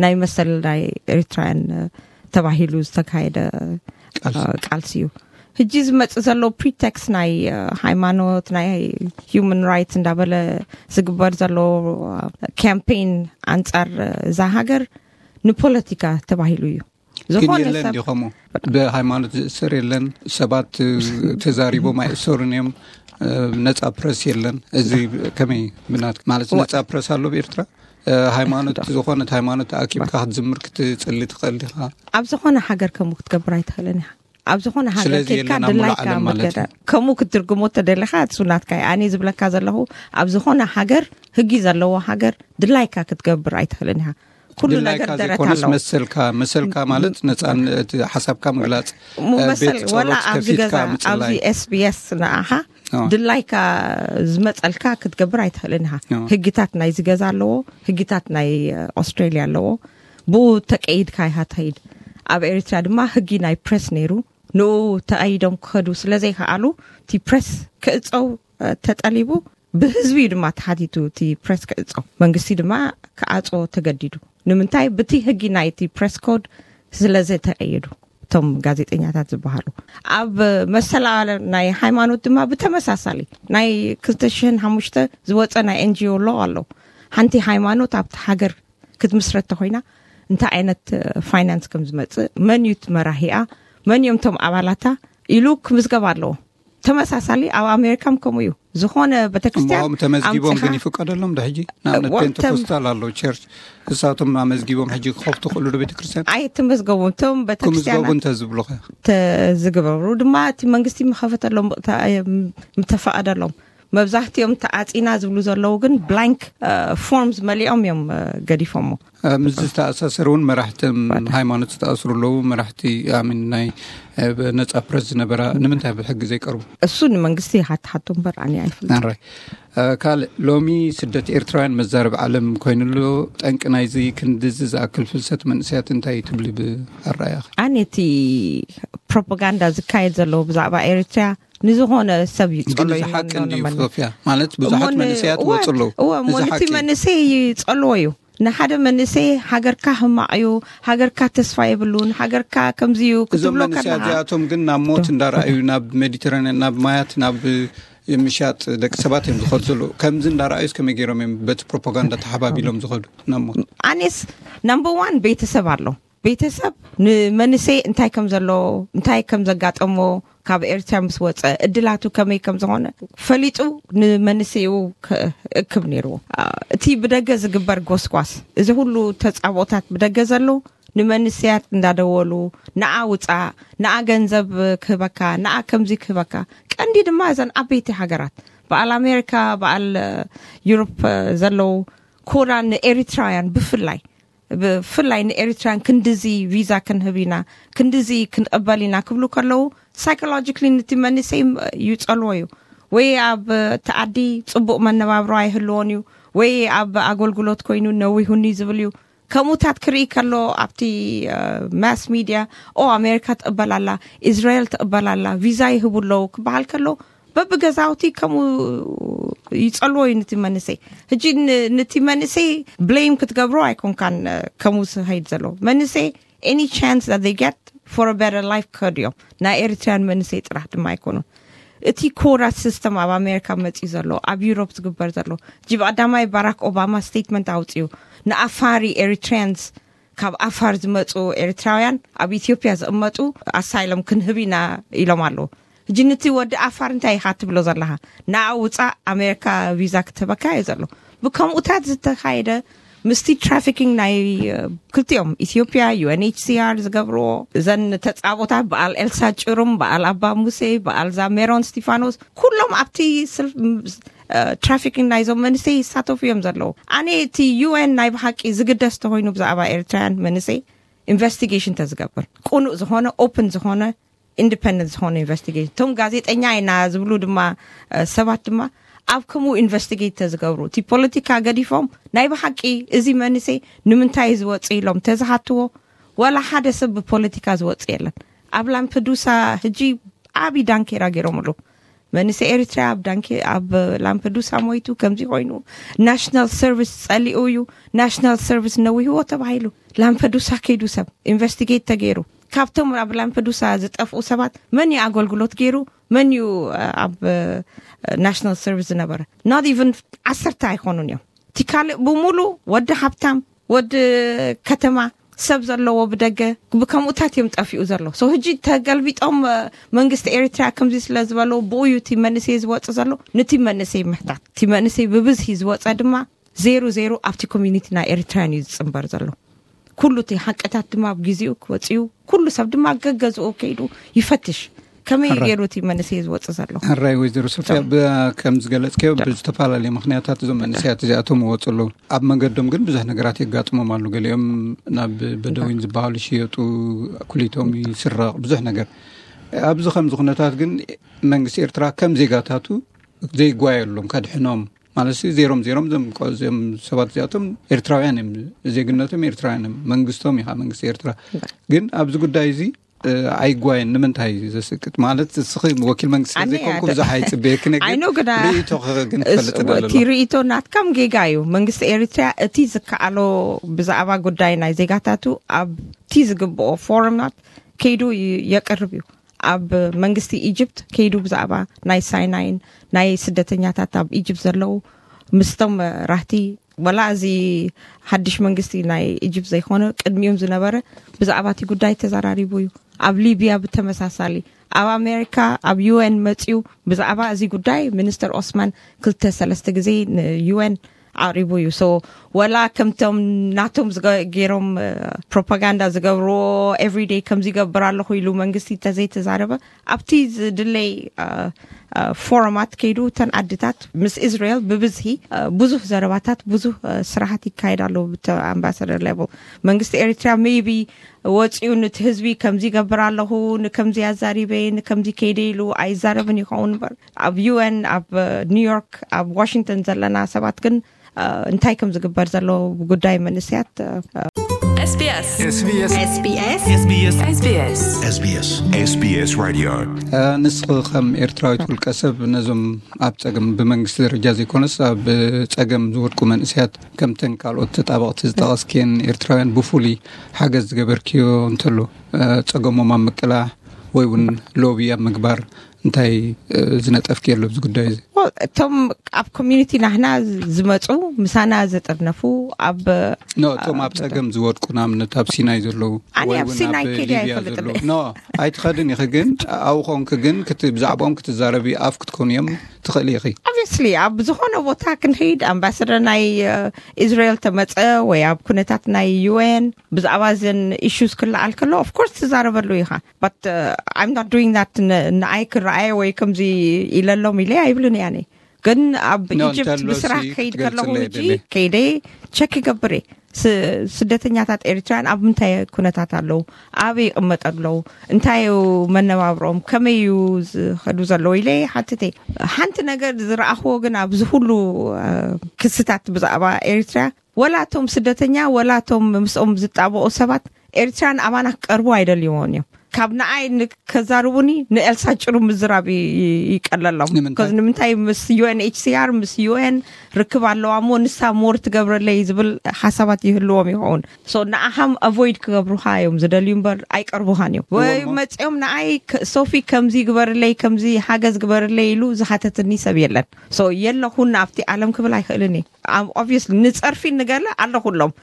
ናይ መሰል ናይ ኤርትራውያን ተባሂሉ ዝተካየደ ቃልሲ እዩ። ሕጂ ዝመጽእ ዘሎ ፕሪቴክስ ናይ ሃይማኖት፣ ናይ ሂውማን ራይትስ እንዳበለ ዝግበር ዘሎ ካምፔን ኣንጻር እዛ ሃገር ንፖለቲካ ተባሂሉ እዩ። ግን ዝኾነ የለን ሰብ ድዩ ከምኡ? ብሃይማኖት ዝእሰር የለን። ሰባት ተዛሪቦም ኣይእሰሩን እዮም። ነጻ ፕረስ የለን። እዚ ከመይ ብናት ማለት ነጻ ፕረስ ኣሎ ብኤርትራ? ሃይማኖት፣ ዝኾነት ሃይማኖት ኣኪብካ ክትዝምር ክትጽሊ ትኽእል ዲኻ? ኣብ ዝኾነ ሃገር ከምኡ ክትገብር ኣይትኽእልን ኢኻ። ኣብ ዝኾነ ሃገር ስለዚ ኬድካ የለን ኣብ ሙሉእ ድላይካ ዓለም ማለት ምትገዳ እዩ። ከምኡ ክትትርጉሞ ተደሊኻ እሱ ናትካ እዩ። ኣነ ዝብለካ ዘለኹ፣ ኣብ ዝኾነ ሃገር፣ ህጊ ዘለዎ ሃገር፣ ድላይካ ክትገብር ኣይትኽእልን ኢኻ። ኩሉ ድላይካ ነገር ደረት ዘይኮነስ ኣለዎ። መሰልካ፣ መሰልካ ማለት ነጻነት፣ ሓሳብካ ምግላጽ፣ ሙ- መሰል ቤት ወላ ጸሎት ኣብዚ ከፊትካ ገዛ፣ ምጽላይ። ኣብዚ SBS ንኣኻ ኣዎ። ድላይካ ዝመጸልካ ክትገብር ኣይትኽእልን ኢኻ። ኣዎ። ህግታት ናይዚ ገዛ ኣለዎ፣ ህግታት ናይ ኦስትሬልያ ኣለዎ። ብኡ ተቀይድካ ኢኻ ትኸይድ። ኣብ ኤርትራ ድማ ህጊ ናይ ፕረስ ነይሩ። ንኡ ተቐይዶም ክኸዱ ስለ ዘይከኣሉ፣ እቲ ፕረስ ክእጸው ተጠሊቡ፣ ብህዝቢ እዩ ድማ ተሓቲቱ እቲ ፕረስ ክእጸው። መንግስቲ ድማ ክዓጽዎ ተገዲዱ። ንምንታይ? ብቲ ህጊ ናይቲ ፕረስ ኮድ ስለ ዝተቐየዱ እቶም ጋዜጠኛታት ዝበሃሉ። ኣብ መሰል ናይ ሃይማኖት ድማ ብተመሳሳሊ ናይ ክልተ ሽሕን ሓሙሽተ ዝወጸ ናይ NGO ኣሎ ኣሎ። ሓንቲ ሃይማኖት ኣብቲ ሃገር ክትምስረት ተኾይና እንታይ ዓይነት ፋይናንስ ከም ዝመጽእ፣ መን እዩ እቲ መራሂኣ፣ መን እዮም እቶም ኣባላታ ኢሉ ክምዝገብ ኣለዎ። ተመሳሳሊ ኣብ ኣሜሪካም ከምኡ እዩ። ዝኾነ ቤተክርስትያን እሞም ተመዝጊቦም ኣምጺኻ ግን ይፍቀደሎም ዶ ሕጂ? ንኣብነት ወ- ፔንቴኮስታል ኣሎ ቸርች፣ እሳቶም ኣመዝጊቦም ሕጂ ክኸፍቱ ክእሉ ዶ ቤተክርስትያን? ኣይትመዝገቡ። እቶም ክምዝገቡ ቤተክርስትያናት እንተ ዝብሉኸ? ተዝግበሩ ድማ እቲ መንግስቲ ምኸፈተሎም፣ ምተ- ምተፈቐደሎም። መብዛሕትኦም ተዓጺና ዝብሉ ዘለዉ ግን ብላንክ ፎርምስ መሊኦም እዮም ገዲፎሞ። ምስዚ ዝተኣሳሰር እውን መራሕቲ ሃይማኖት ዝተኣስሩ ኣለዉ። መራሕቲ ኣሚን ናይ ነጻ ፕረስ ዝነበራ ንምንታይ ብሕጊ ዘይቀርቡ? እሱ ንመንግስቲ ይሓትሓቱ እምበር ኣነ ኣይፈልጥን። ኣራይ። ካልእ ሎሚ ስደት ኤርትራውያን መዛረቢ ዓለም ኮይኑሎ። ጠንቂ ናይዚ ክንድዚ ዝኣክል ፍልሰት መንእሰያት እንታይ ትብሊ ብኣረኣያኺ? ኣነ እቲ ፕሮፓጋንዳ ዝካየድ ዘሎ ብዛዕባ ኤርትራ ንዝኾነ ሰብ ይጸሎ ግን እዚ ሓቂ እንድዩ። ሶፍያ፣ ማለት ብዙሓት መንእሰያት ወጹ ኣለዉ። እወ እሞ ነቲ መንእሰይ ይጸልዎ እዩ። ንሓደ መንእሰይ ሃገርካ ህማቕ እዩ፣ ሃገርካ ተስፋ የብሉን፣ ሃገርካ ከምዚ እዩ ክትብሎ ከለኻ። እዞም መንእሰያት እዚኣቶም ግን ናብ ሞት እንዳረኣዩ ናብ ሜዲተራንያን ናብ ማያት ናብ ምሻጥ ደቂ ሰባት እዮም ዝኸዱ ዘለዉ። ከምዚ እንዳረኣዩስ ከመይ ገይሮም እዮም በቲ ፕሮፓጋንዳ ተሓባቢሎም ዝኸዱ ናብ ሞት? ኣነስ ናምበር ዋን ቤተሰብ ኣሎ። ቤተሰብ ንመንሰይ እንታይ ከም ዘሎ፣ እንታይ ከም ዘጋጠሞ፣ ካብ ኤርትራ ምስ ወፀ እድላቱ ከመይ ከም ዝኾነ ፈሊጡ ንመንሰይኡ ክእክብ ነይርዎ። እቲ ብደገ ዝግበር ጎስጓስ፣ እዚ ሁሉ ተፃብኦታት ብደገ ዘለዉ ንመንሰያት እንዳደወሉ፣ ንዓ ውፃእ፣ ንዓ ገንዘብ ክህበካ፣ ንዓ ከምዚ ክህበካ። ቀንዲ ድማ እዘን ዓበይቲ ሃገራት በዓል ኣሜሪካ፣ በዓል ዩሮፕ ዘለዉ ኮራ ንኤሪትራውያን ብፍላይ ብፍላይ ንኤሪትራን ክንድዚ ቪዛ ክንህብ ኢና፣ ክንድዚ ክንቕበል ኢና ክብሉ ከለዉ፣ ሳይኮሎጂክሊ ነቲ መንሰይ ይጸልዎ እዩ። ወይ ኣብ ተኣዲ ጽቡቕ መነባብሮ ኣይህልዎን እዩ፣ ወይ ኣብ ኣገልግሎት ኮይኑ ነዊሁኒ ዝብል እዩ። ከምኡታት ክርኢ ከሎ ኣብቲ ማስ ሚድያ፣ ኦ ኣሜሪካ ትቕበል ኣላ፣ እስራኤል ትቕበል ኣላ፣ ቪዛ ይህቡ ኣለዉ ክበሃል ከሎ፣ በብገዛውቲ ከምኡ ይጸልዎ እዩ ነቲ መንሰይ። ሕጂ ነቲ መንሰይ ብሌም ክትገብሮ ኣይኮንካን። ከምኡ ዝኸይድ ዘሎ መንሰይ፣ any chance that they get for a better life ክኸዱ እዮም። ናይ ኤሪትሪያን መንሰይ ጥራሕ ድማ ኣይኮኑን። እቲ ኮራ ሲስተም ኣብ ኣሜሪካ መፅዩ ዘሎ፣ ኣብ ዩሮፕ ዝግበር ዘሎ፣ ጂ ብቀዳማይ ባራክ ኦባማ ስቴትመንት ኣውፅኡ፣ ንኣፋሪ ኤሪትሪያንስ፣ ካብ ኣፋር ዝመፁ ኤሪትራውያን ኣብ ኢትዮጵያ ዝቕመጡ ኣሳይሎም ክንህብ ኢና ኢሎም ኣለዉ። ሕጂ ነቲ ወዲ ኣፋር እንታይ ኢኻ ትብሎ ዘለኻ? ንዓ ውፃእ፣ ኣሜሪካ ቪዛ ክትህበካ እዩ ዘሎ። ብከምኡታት ዝተኻየደ ምስቲ ትራፊኪንግ ናይ ክልቲኦም ኢትዮጵያ፣ ዩ ኤን ኤች ሲ ኣር ዝገብርዎ፣ እዘን ተፃቦታት በዓል ኤልሳ ጭሩም፣ በዓል ኣባ ሙሴ፣ በዓል ዛ ሜሮን ስቲፋኖስ፣ ኩሎም ኣብቲ ትራፊኪንግ ናይዞም መንሰይ ይሳተፉ እዮም ዘለዉ። ኣነ እቲ ዩ ኤን ናይ ብሓቂ ዝግደስ ተኾይኑ ብዛዕባ ኤርትራውያን መንሰይ ኢንቨስቲጌሽን ተዝገብር፣ ቅኑእ ዝኾነ፣ ኦፕን ዝኾነ፣ ኢንዲፐንደንት ዝኾነ ኢንቨስቲጌሽን፣ እቶም ጋዜጠኛ ኢና ዝብሉ ድማ ሰባት ድማ ኣብ ከምኡ ኢንቨስቲጌት ተዝገብሩ፣ እቲ ፖለቲካ ገዲፎም ናይ ብሓቂ እዚ መንሰይ ንምንታይ ዝወፅ ኢሎም ተዝሓትዎ፣ ዋላ ሓደ ሰብ ብፖለቲካ ዝወፅ የለን። ኣብ ላምፐዱሳ ሕጂ ዓብዪ ዳንኬራ ገይሮምሉ። መንሰይ ኤሪትራ ኣብ ዳንኬ ኣብ ላምፐዱሳ ሞይቱ፣ ከምዚ ኮይኑ፣ ናሽናል ሰርቪስ ጸሊኡ እዩ፣ ናሽናል ሰርቪስ ነዊህዎ ተባሂሉ። ላምፐዱሳ ከይዱ ሰብ ኢንቨስቲጌት ተገይሩ፣ ካብቶም ኣብ ላምፐዱሳ ዝጠፍኡ ሰባት መን እዩ ኣገልግሎት ገይሩ፣ መን እዩ ኣብ ናሽናል ሰርቪስ ዝነበረ? ኖት ኢቨን ዓሰርተ ኣይኮኑን እዮም። እቲ ካልእ ብሙሉ ወዲ ሃብታም፣ ወዲ ከተማ፣ ሰብ ዘለዎ ብደገ፣ ብከምኡታት እዮም ጠፊኡ ዘሎ። ሶ ሕጂ ተገልቢጦም መንግስቲ ኤሪትራ ከምዚ ስለ ዝበሉ፣ ብኡ እዩ እቲ መንእሰይ ዝወፅ ዘሎ። ነቲ መንእሰይ ምሕታት፣ እቲ መንእሰይ ብብዝሒ ዝወፀ ድማ ዜሩ ዜሩ ኣብቲ ኮሚኒቲ ናይ ኤሪትራያን እዩ ዝፅንበር ዘሎ። ኩሉ እቲ ሓቅታት ድማ ኣብ ግዜኡ ክወፅኡ፣ ኩሉ ሰብ ድማ ገገዝኡ ከይዱ ይፈትሽ፣ ከመይ ገይሩ እቲ መንእሰይ ዝወፅ ዘሎ። ሕራይ ወይዘሮ ሶፊያ፣ ከም ዝገለፅከዮ ብዝተፈላለየ ምክንያታት እዞም መንእሰያት እዚኣቶም ይወፁ ኣለዉ። ኣብ መንገዶም ግን ብዙሕ ነገራት የጋጥሞም ኣሉ። ገሊኦም ናብ በደዊን ዝበሃሉ ይሽየጡ፣ ኩሊቶም ይስረቕ፣ ብዙሕ ነገር። ኣብዚ ከምዚ ኩነታት ግን መንግስቲ ኤርትራ ከም ዜጋታቱ ዘይጓየሎም ከድሕኖም ማለት ዜሮም ዜሮም ዞም ሰባት እዚኣቶም ኤርትራውያን እዮም፣ ዜግነቶም ኤርትራውያን እዮም፣ መንግስቶም ኢኻ መንግስቲ ኤርትራ። ግን ኣብዚ ጉዳይ እዚ ኣይጓየን። ንምንታይ ዘስቅጥ ማለት እስኺ ወኪል መንግስቲ ዘይኮንኩ ብዙሕ ኣይፅበየክን፣ ግን ሪኢቶ ግን ክፈልጥ እቲ ሪኢቶ ናትካም ጌጋ እዩ። መንግስቲ ኤሪትርያ እቲ ዝከኣሎ ብዛዕባ ጉዳይ ናይ ዜጋታቱ ኣብቲ ዝግብኦ ፎረምናት ከይዱ የቅርብ እዩ። ኣብ መንግስቲ ኢጅፕት ከይዱ ብዛዕባ ናይ ሳይናይን ናይ ስደተኛታት ኣብ ኢጅፕት ዘለዉ ምስቶም ራህቲ ወላ እዚ ሓድሽ መንግስቲ ናይ ኢጅፕት ዘይኮነ ቅድሚኡም ዝነበረ ብዛዕባ እቲ ጉዳይ ተዘራሪቡ እዩ። ኣብ ሊብያ ብተመሳሳሊ፣ ኣብ ኣሜሪካ ኣብ ዩኤን መፅዩ ብዛዕባ እዚ ጉዳይ ሚኒስተር ኦስማን ክልተ ሰለስተ ግዜ ንዩኤን ኣቕሪቡ እዩ። ሶ ወላ ከምቶም ናቶም ገይሮም ፕሮፓጋንዳ ዝገብርዎ ኤቭሪደይ ከምዚ ይገብር ኣለኹ ኢሉ መንግስቲ ተዘይተዛረበ ኣብቲ ዝድለይ ፎረማት ከይዱ እተን ዓድታት ምስ እስራኤል ብብዝሒ ብዙሕ ዘረባታት ብዙሕ ስራሓት ይካየድ ኣሎ። ኣምባሳደር ሌቨል መንግስቲ ኤሪትራ ሜይቢ ወፂኡ ንቲ ህዝቢ ከምዚ ይገብር ኣለኹ ንከምዚ ኣዛሪበ ንከምዚ ከይደ ኢሉ ኣይዛረብን ይኸውን እምበር ኣብ ዩኤን ኣብ ኒውዮርክ ኣብ ዋሽንግተን ዘለና ሰባት ግን እንታይ ከም ዝግበር ዘሎ ጉዳይ መንእሰያት SBS SBS SBS SBS SBS SBS SBS Radio። ንስኺ ከም ኤርትራዊት ውልቀ ሰብ ነዞም ኣብ ጸገም ብመንግስቲ ደረጃ ዘይኮነስ ኣብ ጸገም ዝወድቁ መንእሰያት ከምተን ካልኦት ተጣበቕቲ ዝጠቐስክየን ኤርትራውያን ብፍሉይ ሓገዝ ዝገበርክዮ እንተሎ ጸገሞም ኣብ ምቅላሕ ወይ እውን ሎቢ ኣብ ምግባር እንታይ ዝነጠፍኪ ኣሎ ኣብዚ ጉዳይ እዚ? እቶም ኣብ ኮሚኒቲ ናህና ዝመፁ ምሳና ዘጠርነፉ ኣብ ኖ እቶም ኣብ ፀገም ዝወድቁ ንኣብነት ኣብ ሲናይ ዘለዉ ኣነ ኣብ ሲናይ ከይደ ኣይፈልጥን። ኖ ኣይትኸድን ኢኺ፣ ግን ኣብኡ ኮንክ ግን ብዛዕባኦም ክትዛረቢ ኣፍ ክትኮኑ እዮም ትኽእል ኢኺ። ኦብቪስሊ ኣብ ዝኾነ ቦታ ክንኸይድ ኣምባሳደር ናይ እስራኤል ተመፀ ወይ ኣብ ኩነታት ናይ ዩኤን ብዛዕባ ዘን ኢሹስ ክለዓል ከሎ ኦፍኮርስ ትዛረበሉ ኢኻ። በት I'm not doing that። ንኣይ ክረኣየ ወይ ከምዚ ኢለሎም ኢለ ኣይብልን እያነ። ግን ኣብ ኢጅፕት ብስራሕ ክኸይድ ከለኹ ሕጂ ከይደ ቸክ ይገብር እየ። ስደተኛታት ኤርትራውያን ኣብ ምንታይ ኩነታት ኣለዉ፣ ኣበይ ይቕመጡ ኣለዉ፣ እንታይ እዩ መነባብሮኦም፣ ከመይ እዩ ዝኸዱ ዘለዉ ኢለ ሓትተ። ሓንቲ ነገር ዝረኣኽዎ ግን ኣብዚ ኩሉ ክስታት ብዛዕባ ኤርትራ ወላ እቶም ስደተኛ ወላ እቶም ምስኦም ዝጣበቑ ሰባት ኤርትራን ኣባና ክቀርቡ ኣይደልይዎን እዮም። ካብ ንኣይ ከዛርቡኒ ንኤልሳ ጭሩ ምዝራብ ይቀለሎም። ንምንታይ ምስ ዩኤንኤችሲኣር ምስ ዩኤን ርክብ ኣለዋ እሞ ንሳ ሞር ትገብረለይ ዝብል ሓሳባት ይህልዎም ይኸውን። ንኣኻም ኣቮይድ ክገብሩኻ እዮም ዝደልዩ እምበር ኣይቀርቡኻን እዮም። ወይ መፅኦም ንኣይ ሶፊ ከምዚ ግበርለይ ከምዚ ሓገዝ ግበርለይ ኢሉ ዝሓተትኒ ሰብ የለን። የለኹን ኣብቲ ዓለም ክብል ኣይኽእልን እየ። ኦብቪየስሊ ንፀርፊ ንገለ ኣለኹሎም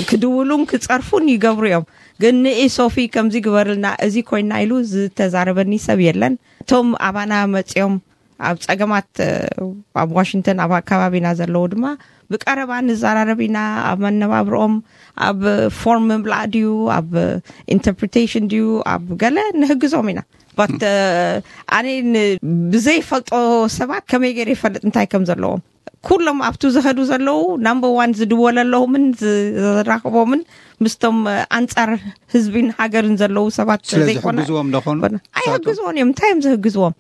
ክድውሉን ክፀርፉን ይገብሩ እዮም። ግን ንኢ ሶፊ ከምዚ ግበርልና እዚ ኮይና ኢሉ ዝተዛረበኒ ሰብ የለን። እቶም ኣባና መፅኦም ኣብ ፀገማት ኣብ ዋሽንግተን ኣብ ኣከባቢና ዘለዉ ድማ ብቀረባ ንዘራረብ ኢና። ኣብ መነባብርኦም ኣብ ፎርም ምምላእ ድዩ ኣብ ኢንተርፕሪቴሽን ድዩ ኣብ ገለ ንህግዞም ኢና። ባት ኣነ ብዘይፈልጦ ሰባት ከመይ ገይረ ይፈልጥ እንታይ ከም ዘለዎም። ኩሎም ኣብቱ ዝኸዱ ዘለዉ ናምበር ዋን ዝድወለለዎምን ዝራኽቦምን ምስቶም ኣንጻር ህዝቢን ሃገርን ዘለዉ ሰባት ዘይኮነ ኣይህግዝዎን እዮም። እንታይ እዮም ዝህግዝዎም?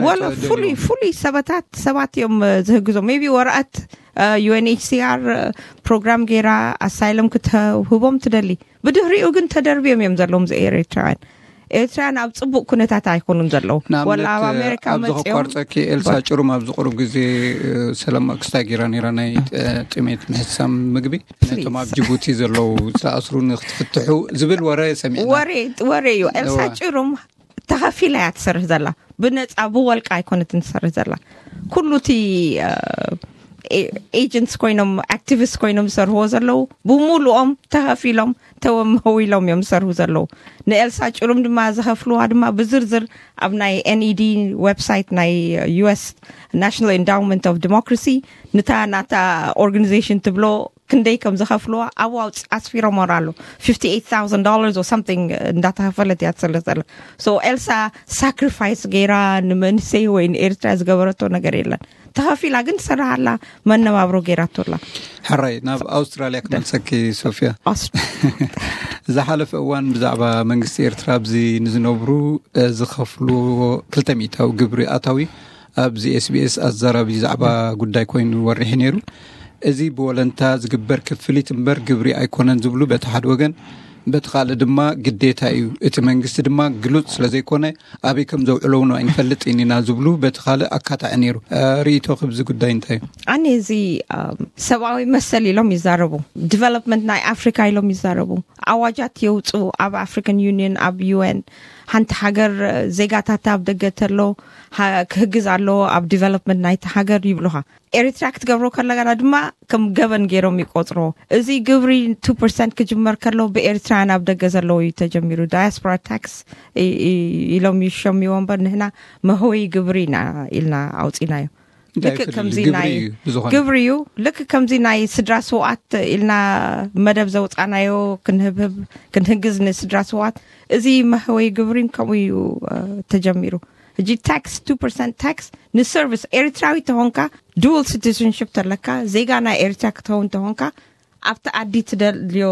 ወላ ፍሉይ ፍሉይ ሰበታት ሰባት እዮም ዝህግዞም። ቢ ወረቐት ዩኤንኤችሲኣር ፕሮግራም ገይራ ኣሳይለም ክትህቦም ትደሊ። ብድሕሪኡ ግን ተደርብዮም እዮም ዘለዎም ዚ ኤርትራውያን። ኤርትራውያን ኣብ ፅቡቅ ኩነታት ኣይኮኑን ዘለዉ። ወላ ኣብ ኣሜሪካ ኣብዚ መፅኦም ከቋርፀኪ ኤልሳ ጭሩም ኣብዚ ቁሩብ ግዜ ሰለማ ክስታይ ገይራ ነይራ ናይ ጥሜት ምሕሳም ምግቢ ነቶም ኣብ ጅቡቲ ዘለዉ ዝተኣስሩ ንክትፍትሑ ዝብል ወረ ሰሚዕና። ወሬ እዩ። ኤልሳ ጭሩም ተኸፊላ እያ ትሰርሕ ዘላ። ብነፃ ብወልቃ ኣይኮነትን ትሰርሕ ዘላ። ኩሉ እቲ ኤጀንትስ ኮይኖም ኣክቲቪስት ኮይኖም ዝሰርሕዎ ዘለዉ ብሙሉኦም ተኸፊሎም ተወመው ኢሎም እዮም ዝሰርሑ ዘለዉ። ንኤልሳ ጭሩም ድማ ዝኸፍልዋ ድማ ብዝርዝር ኣብ ናይ ኤንኢዲ ዌብሳይት ናይ ዩኤስ ናሽናል ኢንዳውመንት ኦፍ ዲሞክራሲ ንታ ናታ ኦርጋኒዜሽን ትብሎ ክንደይ ከም ዝኸፍልዋ ኣብኡ ኣስፊሮም ኣሎ። ፊፍቲ ኤይት ታውዘንድ ዶላርስ ኦር ሳምቲንግ እንዳተኸፈለት እያ ትሰርሕ ዘላ። ኤልሳ ሳክሪፋይስ ገይራ ንመንእሰይ ወይ ንኤርትራ ዝገበረቶ ነገር የለን። ተኸፊላ ግን ትሰርሕ ኣላ። መነባብሮ ገይራቶ ኣላ። ሕራይ ናብ ኣውስትራልያ ክመልሰኪ ሶፊያ። ዝሓለፈ እዋን ብዛዕባ መንግስቲ ኤርትራ ኣብዚ ንዝነብሩ ዝኸፍሉ ክልተ ሚእታዊ ግብሪ ኣታዊ ኣብዚ ኤስቢኤስ ኣዛራቢ ዛዕባ ጉዳይ ኮይኑ ወሪሒ ነይሩ። እዚ ብወለንታ ዝግበር ክፍሊት እምበር ግብሪ ኣይኮነን ዝብሉ በቲ ሓደ ወገን፣ በቲ ካልእ ድማ ግዴታ እዩ፣ እቲ መንግስቲ ድማ ግሉጽ ስለዘይኮነ ኣበይ ከም ዘውዕሎ እውን ኣይንፈልጥን ኢና ዝብሉ በቲ ካልእ ኣካታዒ ነይሩ። ርእይቶ ክብዚ ጉዳይ እንታይ እዩ? ኣነ እዚ ሰብኣዊ መሰል ኢሎም ይዛረቡ፣ ዲቨሎፕመንት ናይ ኣፍሪካ ኢሎም ይዛረቡ። ኣዋጃት የውፅኡ ኣብ ኣፍሪካን ዩኒየን ኣብ ዩኤን። ሓንቲ ሃገር ዜጋታታ ኣብ ደገ ተሎ ክህግዝ ኣለዎ ኣብ ዲቨሎፕመንት ናይቲ ሃገር ይብሉኻ። ኤርትራ ክትገብሮ ከለጋና ድማ ከም ገበን ገይሮም ይቆፅሮ። እዚ ግብሪ ቱ ፐርሰንት ክጅመር ከሎ ብኤርትራውያን ኣብ ደገ ዘለዉ እዩ ተጀሚሩ። ዳያስፖራ ታክስ ኢሎም ይሸምዎ እምበር ንህና መህወይ ግብሪ ኢና ኢልና ኣውፂናዮ። ልክእ ከምዚ ናይ ግብሪ እዩ። ልክእ ከምዚ ናይ ስድራ ስውኣት ኢልና መደብ ዘውፃናዮ ክንህብህብ ክንህግዝ ንስድራ ስውኣት። እዚ መህወይ ግብሪን ከምኡ እዩ ተጀሚሩ። ሕጂ ታክስ ቱ ፐርሰንት ታክስ ንሰርቪስ ኤርትራዊ ተኾንካ ዱል ሲቲዝንሽፕ ተለካ ዜጋ ናይ ኤርትራ ክትኸውን ተኾንካ ኣብቲ ዓዲ ትደልዮ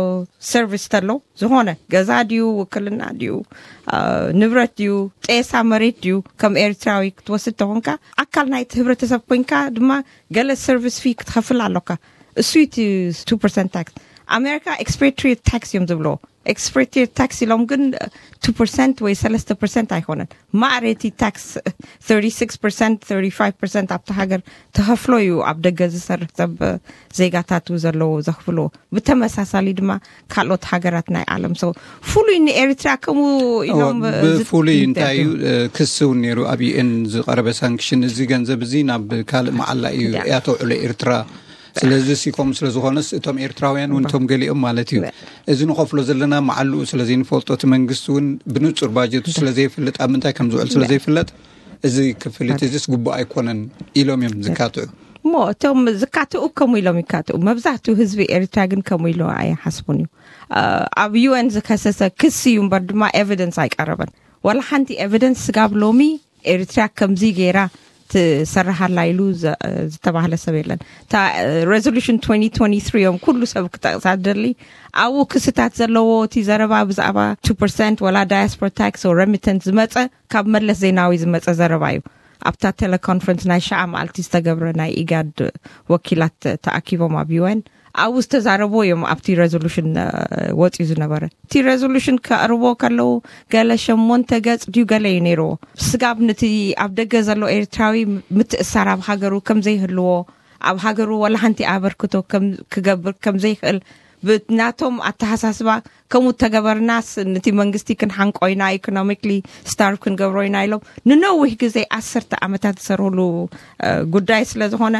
ሰርቪስ ተሎ ዝኾነ ገዛ ድዩ ውክልና ድዩ ንብረት ድዩ ጤሳ መሬት ድዩ ከም ኤርትራዊ ክትወስድ ተኾንካ ኣካል ናይቲ ህብረተሰብ ኮንካ ድማ ገለ ሰርቪስ ፊ ክትኸፍል ኣሎካ። እሱ እቲ ቱ ፐርሰንት ታክስ። ኣሜሪካ ኤክስፓትሪየት ታክስ እዮም ዝብልዎ። expatriate tax ኢሎም ግን two percent ወይ ሰለስተ percent ኣይኮነን። ማዕረቲ ታክስ thirty-six percent thirty-five percent ኣብቲ ሃገር ተኸፍሎ እዩ ኣብ ደገ ዝሰርሕ ሰብ ዜጋታቱ ዘለዎ ዘኽፍሎ። ብተመሳሳሊ ድማ ካልኦት ሃገራት ናይ ዓለም ሰው ፍሉይ ንኤርትራ ከምኡ ኢሎም ብፍሉይ እንታይ እዩ? ክስ እውን ነይሩ ኣብ ዩኤን ዝቀረበ ሳንክሽን፣ እዚ ገንዘብ እዚ ናብ ካልእ መዓላ እዩ ያተውዕሎ ኤርትራ። ስለዚ ሲኮም ስለዝኾነስ እቶም ኤርትራውያን እውን እቶም ገሊኦም ማለት እዩ፣ እዚ ንኸፍሎ ዘለና መዓልኡ ስለዘይንፈልጦ፣ እቲ መንግስቲ እውን ብንጹር ባጀቱ ስለዘይፍልጥ፣ ኣብ ምንታይ ከም ዝውዕል ስለዘይፍለጥ፣ እዚ ክፍሊት እዚስ ግቡእ ኣይኮነን ኢሎም እዮም ዝካትዑ። እሞ እቶም ዝካትኡ ከምኡ ኢሎም ይካትኡ። መብዛሕትኡ ህዝቢ ኤርትራ ግን ከምኡ ኢሉ ኣይሓስቡን እዩ። ኣብ ዩኤን ዝከሰሰ ክሲ እዩ እምበር ድማ ኤቪደንስ ኣይቀረበን። ዋላ ሓንቲ ኤቪደንስ ስጋብ ሎሚ ኤርትራ ከምዚ ገይራ ትሰርሓላ ኢሉ ዝተባህለ ሰብ የለን። እታ ሬዞሉሽን twenty twenty-three እዮም ኩሉ ሰብ ክጠቕሳ ደሊ። ኣብኡ ክስታት ዘለዎ እቲ ዘረባ ብዛዕባ two percent ወላ ዳያስፖራ ታክስ ረሚተንስ ዝመፀ ካብ መለስ ዜናዊ ዝመፀ ዘረባ እዩ። ኣብታ ቴሌኮንፈረንስ ናይ ሸዓ መዓልቲ ዝተገብረ ናይ ኢጋድ ወኪላት ተኣኪቦም ኣብ ዩኤን ኣብኡ ዝተዛረብዎ እዮም ኣብቲ ሬዞሉሽን ወፂኡ ዝነበረ። እቲ ሬዞሉሽን ከቕርቦ ከለዉ ገለ ሸሞንተ ገፅ ድዩ ገለ እዩ ነይርዎ። ስጋብ ነቲ ኣብ ደገ ዘሎ ኤርትራዊ ምትእሳር ኣብ ሃገሩ ከም ዘይህልዎ፣ ኣብ ሃገሩ ዋላ ሓንቲ ኣበርክቶ ክገብር ከም ዘይኽእል ብናቶም ኣተሓሳስባ ከምኡ ተገበርናስ ነቲ መንግስቲ ክንሓንቆ ኢና፣ ኢኮኖሚክሊ ስታርቭ ክንገብሮ ኢና ኢሎም ንነዊሕ ግዜ ዓሰርተ ዓመታት ዝሰርህሉ ጉዳይ ስለ ዝኾነ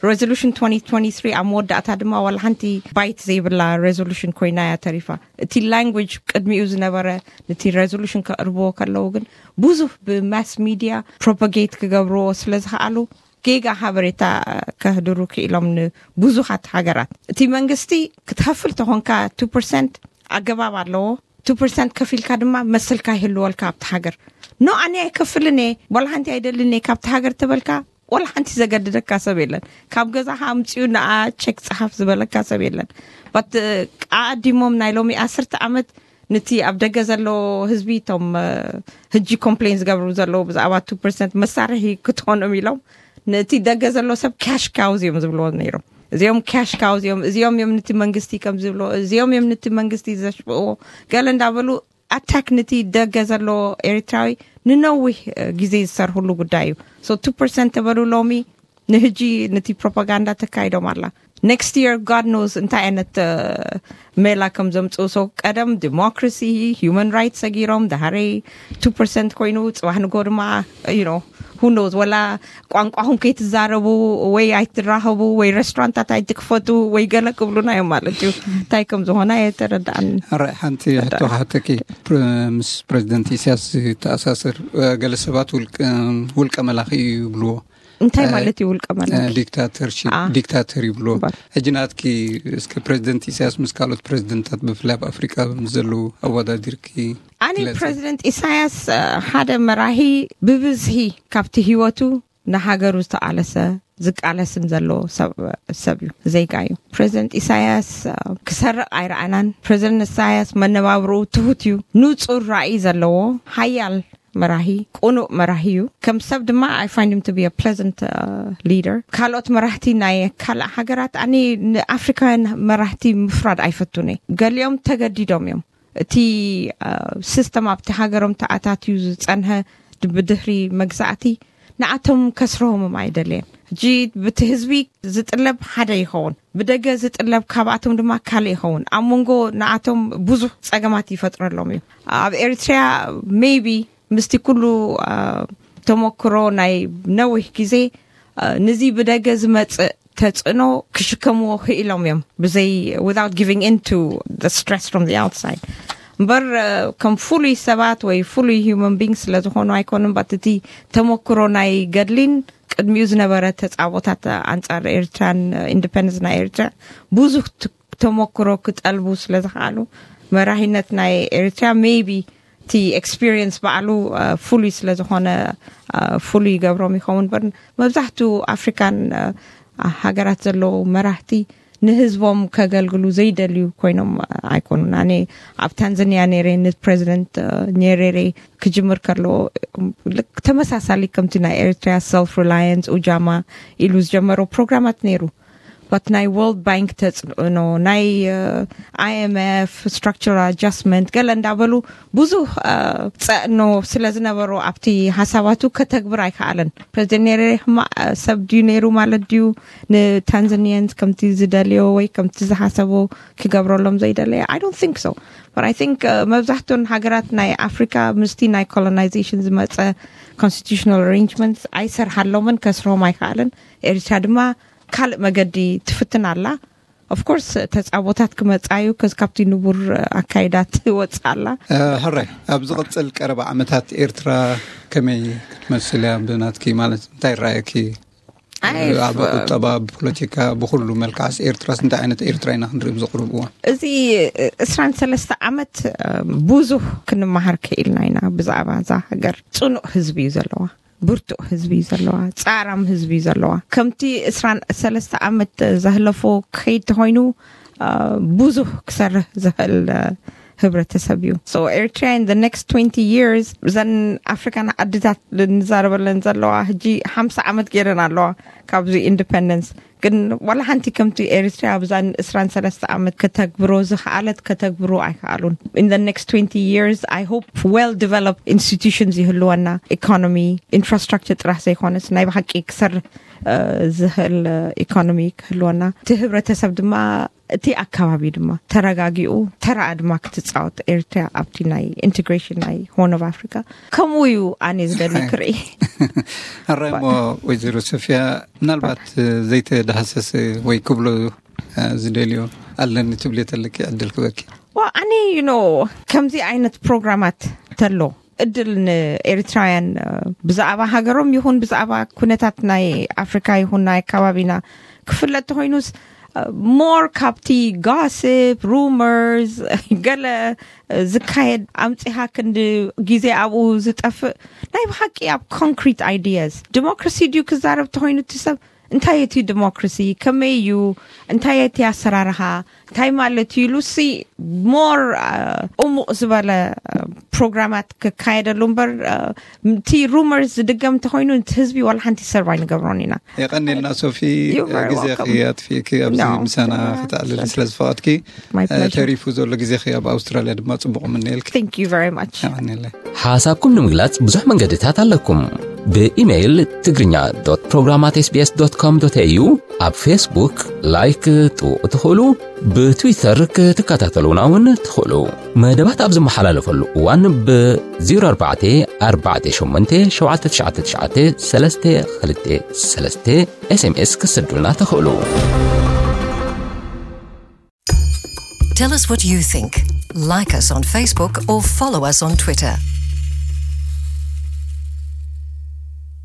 ሬዞሉሽን twenty twenty-three ኣብ መወዳእታ ድማ ዋላ ሓንቲ ባይት ዘይብላ ሬዞሉሽን ኮይና እያ ተሪፋ። እቲ ላንጉጅ ቅድሚኡ ዝነበረ ነቲ ሬዞሉሽን ከቕርብዎ ከለዉ ግን ብዙሕ ብማስ ሚድያ ፕሮፓጌት ክገብርዎ ስለ ዝኸኣሉ ጌጋ ሓበሬታ ከህድሩ ክኢሎም ንብዙሓት ሃገራት። እቲ መንግስቲ ክትኸፍል ተኾንካ two percent ኣገባብ ኣለዎ። two percent ከፊልካ ድማ መሰልካ ይህልወልካ ኣብቲ ሃገር። ኖ ኣነ ኣይከፍልን እየ፣ ዋላ ሓንቲ ኣይደልን እየ ካብቲ ሃገር ተበልካ ዋላ ሓንቲ ዘገድደካ ሰብ የለን። ካብ ገዛኻ ኣምፅኡ ንኣ ቸክ ፀሓፍ ዝበለካ ሰብ የለን። ባት ኣዲሞም ናይ ሎሚ ዓሰርተ ዓመት ነቲ ኣብ ደገ ዘሎ ህዝቢ እቶም ሕጂ ኮምፕሌን ዝገብሩ ዘለዉ ብዛዕባ two percent መሳርሒ ክትኾኖም ኢሎም ነቲ ደገ ዘሎ ሰብ ካሽ ካውዝ እዮም ዝብልዎ ነይሮም። እዚኦም ካሽ ካውዝ እዮም፣ እዚኦም እዮም ነቲ መንግስቲ ከም ዝብልዎ፣ እዚኦም እዮም ነቲ መንግስቲ ዘሽብዎ ገለ እንዳበሉ ኣታክ ነቲ ደገ ዘሎ ኤርትራዊ ንነዊሕ ግዜ ዝሰርህሉ ጉዳይ እዩ። So two percent ተበሉ ሎሚ ንህጂ ነቲ ፕሮፓጋንዳ ተካይዶም ኣላ። Next year God knows እንታይ ዓይነት ሜላ ከም ዘምፅኡ። So ቀደም ዲሞክራሲ፣ ሂውማን ራይትስ ሰጊሮም፣ ድሃረይ two percent ኮይኑ፣ ፅባሕ ንጎ ድማ you know who knows፣ ወላ ቋንቋኹም ከይትዛረቡ ወይ ኣይትራኸቡ ወይ ሬስቶራንታት ኣይትክፈቱ ወይ ገለ ክብሉና እዮም ማለት እዩ። እንታይ ከም ዝኾነ የተረዳእን። ሓንቲ ሕቶ ክሓተኪ፣ ምስ ፕሬዚደንት ኢሳያስ ዝተኣሳሰር፣ ገለ ሰባት ውልቀ መላኺ እዩ ይብልዎ። እንታይ ማለት እዩ ውልቀ መላኺ? ዲክታተር ይብልዎ። ሕጂ ናትኪ እስከ ፕሬዚደንት ኢሳያስ ምስ ካልኦት ፕሬዚደንታት ብፍላይ ኣብ ኣፍሪቃ ምስ ዘለዉ ኣወዳዲርኪ? ኣነ ፕሬዚደንት ኢሳያስ ሓደ መራሂ ብብዝሂ ካብቲ ህይወቱ ንሃገሩ ዝተቓለሰ ዝቃለስን ዘሎ ሰብ እዩ፣ ዜጋ እዩ። ፕሬዚደንት ኢሳያስ ክሰርቕ ኣይረኣናን። ፕሬዚደንት ኢሳያስ መነባብርኡ ትሁት እዩ። ንጹር ራእይ ዘለዎ ሓያል መራሂ፣ ቅኑእ መራሂ እዩ። ከም ሰብ ድማ I find him to be a pleasant leader። ካልኦት መራህቲ ናይ ካልእ ሃገራት ኣነ ንኣፍሪካውያን መራህቲ ምፍራድ ኣይፈቱን እየ። ገሊኦም ተገዲዶም እዮም። እቲ ሲስተም ኣብቲ ሃገሮም ተኣታትዩ ዝጸንሀ ብድህሪ መግዛእቲ ንኣቶም ከስርሆምም ኣይደለየን። ሕጂ ብቲ ህዝቢ ዝጥለብ ሓደ ይኸውን፣ ብደገ ዝጥለብ ካብኣቶም ድማ ካልእ ይኸውን። ኣብ መንጎ ንኣቶም ብዙሕ ጸገማት ይፈጥረሎም እዩ። ኣብ ኤርትራ maybe ምስቲ ኩሉ ተመክሮ ናይ ነዊሕ ግዜ ንዚ ብደገ ዝመጽእ ተጽዕኖ ክሽከምዎ ክኢሎም እዮም ብዘይ without giving in to the stress from the outside። እምበር ከም ፍሉይ ሰባት ወይ ፍሉይ human being ስለ ዝኾኑ ኣይኮኑን። ባት እቲ ተመክሮ ናይ ገድሊን ቅድሚኡ ዝነበረ ተጻቦታት ኣንጻር ኤርትራን ኢንዲፐንደንስ ናይ ኤርትራ ብዙሕ ተመክሮ ክጠልቡ ስለ ዝኸኣሉ መራሂነት ናይ ኤርትራ maybe እቲ ኤክስፒሪየንስ ባዕሉ ፍሉይ ስለ ዝኾነ ፍሉይ ይገብሮም ይኸውን። በር መብዛሕትኡ ኣፍሪካን ሃገራት ዘለዉ መራህቲ ንህዝቦም ከገልግሉ ዘይደልዩ ኮይኖም ኣይኮኑን። ኣነ ኣብ ታንዛኒያ ነይረ ንፕሬዚደንት ኔሬሬ ክጅምር ከሎ ተመሳሳሊ ከምቲ ናይ ኤርትራ ሰልፍ ሪላየንስ ኡጃማ ኢሉ ዝጀመረው ፕሮግራማት ነይሩ። but ናይ World Bank ተፅዕኖ፣ ናይ IMF structural adjustment ገለ እንዳበሉ ብዙሕ ፀዕኖ ስለ ዝነበሮ ኣብቲ ሓሳባቱ ከተግብር ኣይከኣለን። ፕሬዚደንት ኔሬሬ ሕማቕ ሰብ ድዩ ነይሩ ማለት ድዩ ንታንዛኒያንስ ከምቲ ዝደልዮ ወይ ከምቲ ዝሓሰቦ ክገብረሎም ዘይደለየ? I don't think so. But I think መብዛሕቱን ሃገራት ናይ ኣፍሪካ ምስቲ ናይ ኮሎናይዜሽን ዝመፀ constitutional arrangements ኣይሰርሓሎምን፣ ከስርሆም ኣይከኣልን። ኤርትራ ድማ ካልእ መገዲ ትፍትን ኣላ። Of course ተፃቦታት ክመፃ እዩ፣ ከዚ ካብቲ ንቡር ኣካይዳ ትወፅእ ኣላ። ሕራይ፣ ኣብ ዝቕፅል ቀረባ ዓመታት ኤርትራ ከመይ ክትመስል እያ ብናትኪ? ማለት እንታይ ይረኣየኪ? ኣብ ቁጠባ፣ ብፖለቲካ፣ ብኩሉ መልክዓስ ኤርትራስ እንታይ ዓይነት ኤርትራ ኢና ክንርኢ ኣብዚ ቅሩብ እዋን? እዚ እስራን ሰለስተ ዓመት ብዙሕ ክንመሃር ክኢልና ኢና ብዛዕባ እዛ ሃገር። ፅኑዕ ህዝቢ እዩ ዘለዋ፣ ብርቱዕ ህዝቢ እዩ ዘለዋ፣ ፃራም ህዝቢ እዩ ዘለዋ። ከምቲ እስራን ሰለስተ ዓመት ዘህለፎ ክኸይድ ተኾይኑ ብዙሕ ክሰርሕ ዝኽእል ህብረተሰብ እዩ። So Eritrea in the next twenty years፣ እዘን ኣፍሪካን ዓድታት ንዛረበለን ዘለዋ ሕጂ ሓምሳ ዓመት ገይረን ኣለዋ ካብዚ ኢንዲፐንደንስ። ግን ዋላ ሓንቲ ከምቲ ኤሪትሪያ ኣብዛን እስራን ሰለስተ ዓመት ከተግብሮ ዝኸኣለት ከተግብሮ ኣይከኣሉን። In the next twenty years I hope well developed institutions ይህልወና፣ ኢኮኖሚ፣ ኢንፍራስትራክቸር ጥራሕ ዘይኮነስ ናይ ብሓቂ ክሰርሕ ዝኽእል ኢኮኖሚ ክህልወና፣ እቲ ህብረተሰብ ድማ እቲ ኣካባቢ ድማ ተረጋጊኡ ተራኣ ድማ ክትፃወት ኤርትሪያ ኣብቲ ናይ ኢንቴግሬሽን ናይ ሆርን ኦፍ ኣፍሪካ ከምኡ እዩ ኣነ ዝደሊ ክርኢ። ሕራይ እሞ ወይዘሮ ሶፊያ፣ ምናልባት ዘይተዳህሰሰ ወይ ክብሎ ዝደልዮ ኣለኒ ትብልዮ ተለኪ ዕድል ክበኪ። ዋ ኣነ you know ከምዚ ዓይነት ፕሮግራማት ተሎ እድል ንኤርትራውያን ብዛዕባ ሃገሮም ይኹን ብዛዕባ ኩነታት ናይ ኣፍሪካ ይኹን ናይ ኣካባቢና ክፍለጥ ተኮይኑስ more ካብቲ gossip rumors ገለ ዝካየድ ኣምፂኻ ክንዲ ግዜ ኣብኡ ዝጠፍእ ናይ ብሓቂ ኣብ concrete ideas democracy ድዩ ክዛረብ ተኮይኑ እቲ ሰብ እንታይ እቲ democracy ከመይ እዩ እንታይ እቲ ኣሰራርኻ እንታይ ማለት እዩ ኢሉ ሲ more እሙቕ ዝበለ ፕሮግራማት ክካየደሉ እምበር እቲ rumors ዝድገም እንተኮይኑ እቲ ህዝቢ ዋላ ሓንቲ serve ኣይንገብሮን ኢና። የቐኔልና ሶፊ፣ ግዜኺ ኣጥፊእኪ ኣብዚ ምሳና ክተዕልሊ ስለ ዝፈቐድኪ፣ ተሪፉ ዘሎ ግዜኺ ኣብ ኣውስትራልያ ድማ ፅቡቕ ምነየልኪ። Thank you very much። የቐኔለይ። ሓሳብኩም ንምግላጽ ብዙሕ መንገድታት ኣለኩም። ብኢሜይል ትግርኛ ዶት ፕሮግራም ኣት ኤስቢኤስ ዶት ኮም ዶት ኤዩ፣ ኣብ ፌስቡክ ላይክ ክትጥውቑ ትኽእሉ፣ ብትዊተር ክትከታተሉና እውን ትኽእሉ። መደባት ኣብ ዝመሓላለፈሉ እዋን ብ ዜሮ ኣርባዕተ ኣርባዕተ ሸሞንተ ሸውዓተ ትሽዓተ ትሽዓተ ሰለስተ ክልተ ሰለስተ ኤስኤምኤስ ክትሰዱልና ትኽእሉ። Tell us what you think. Like us on Facebook or follow us on Twitter.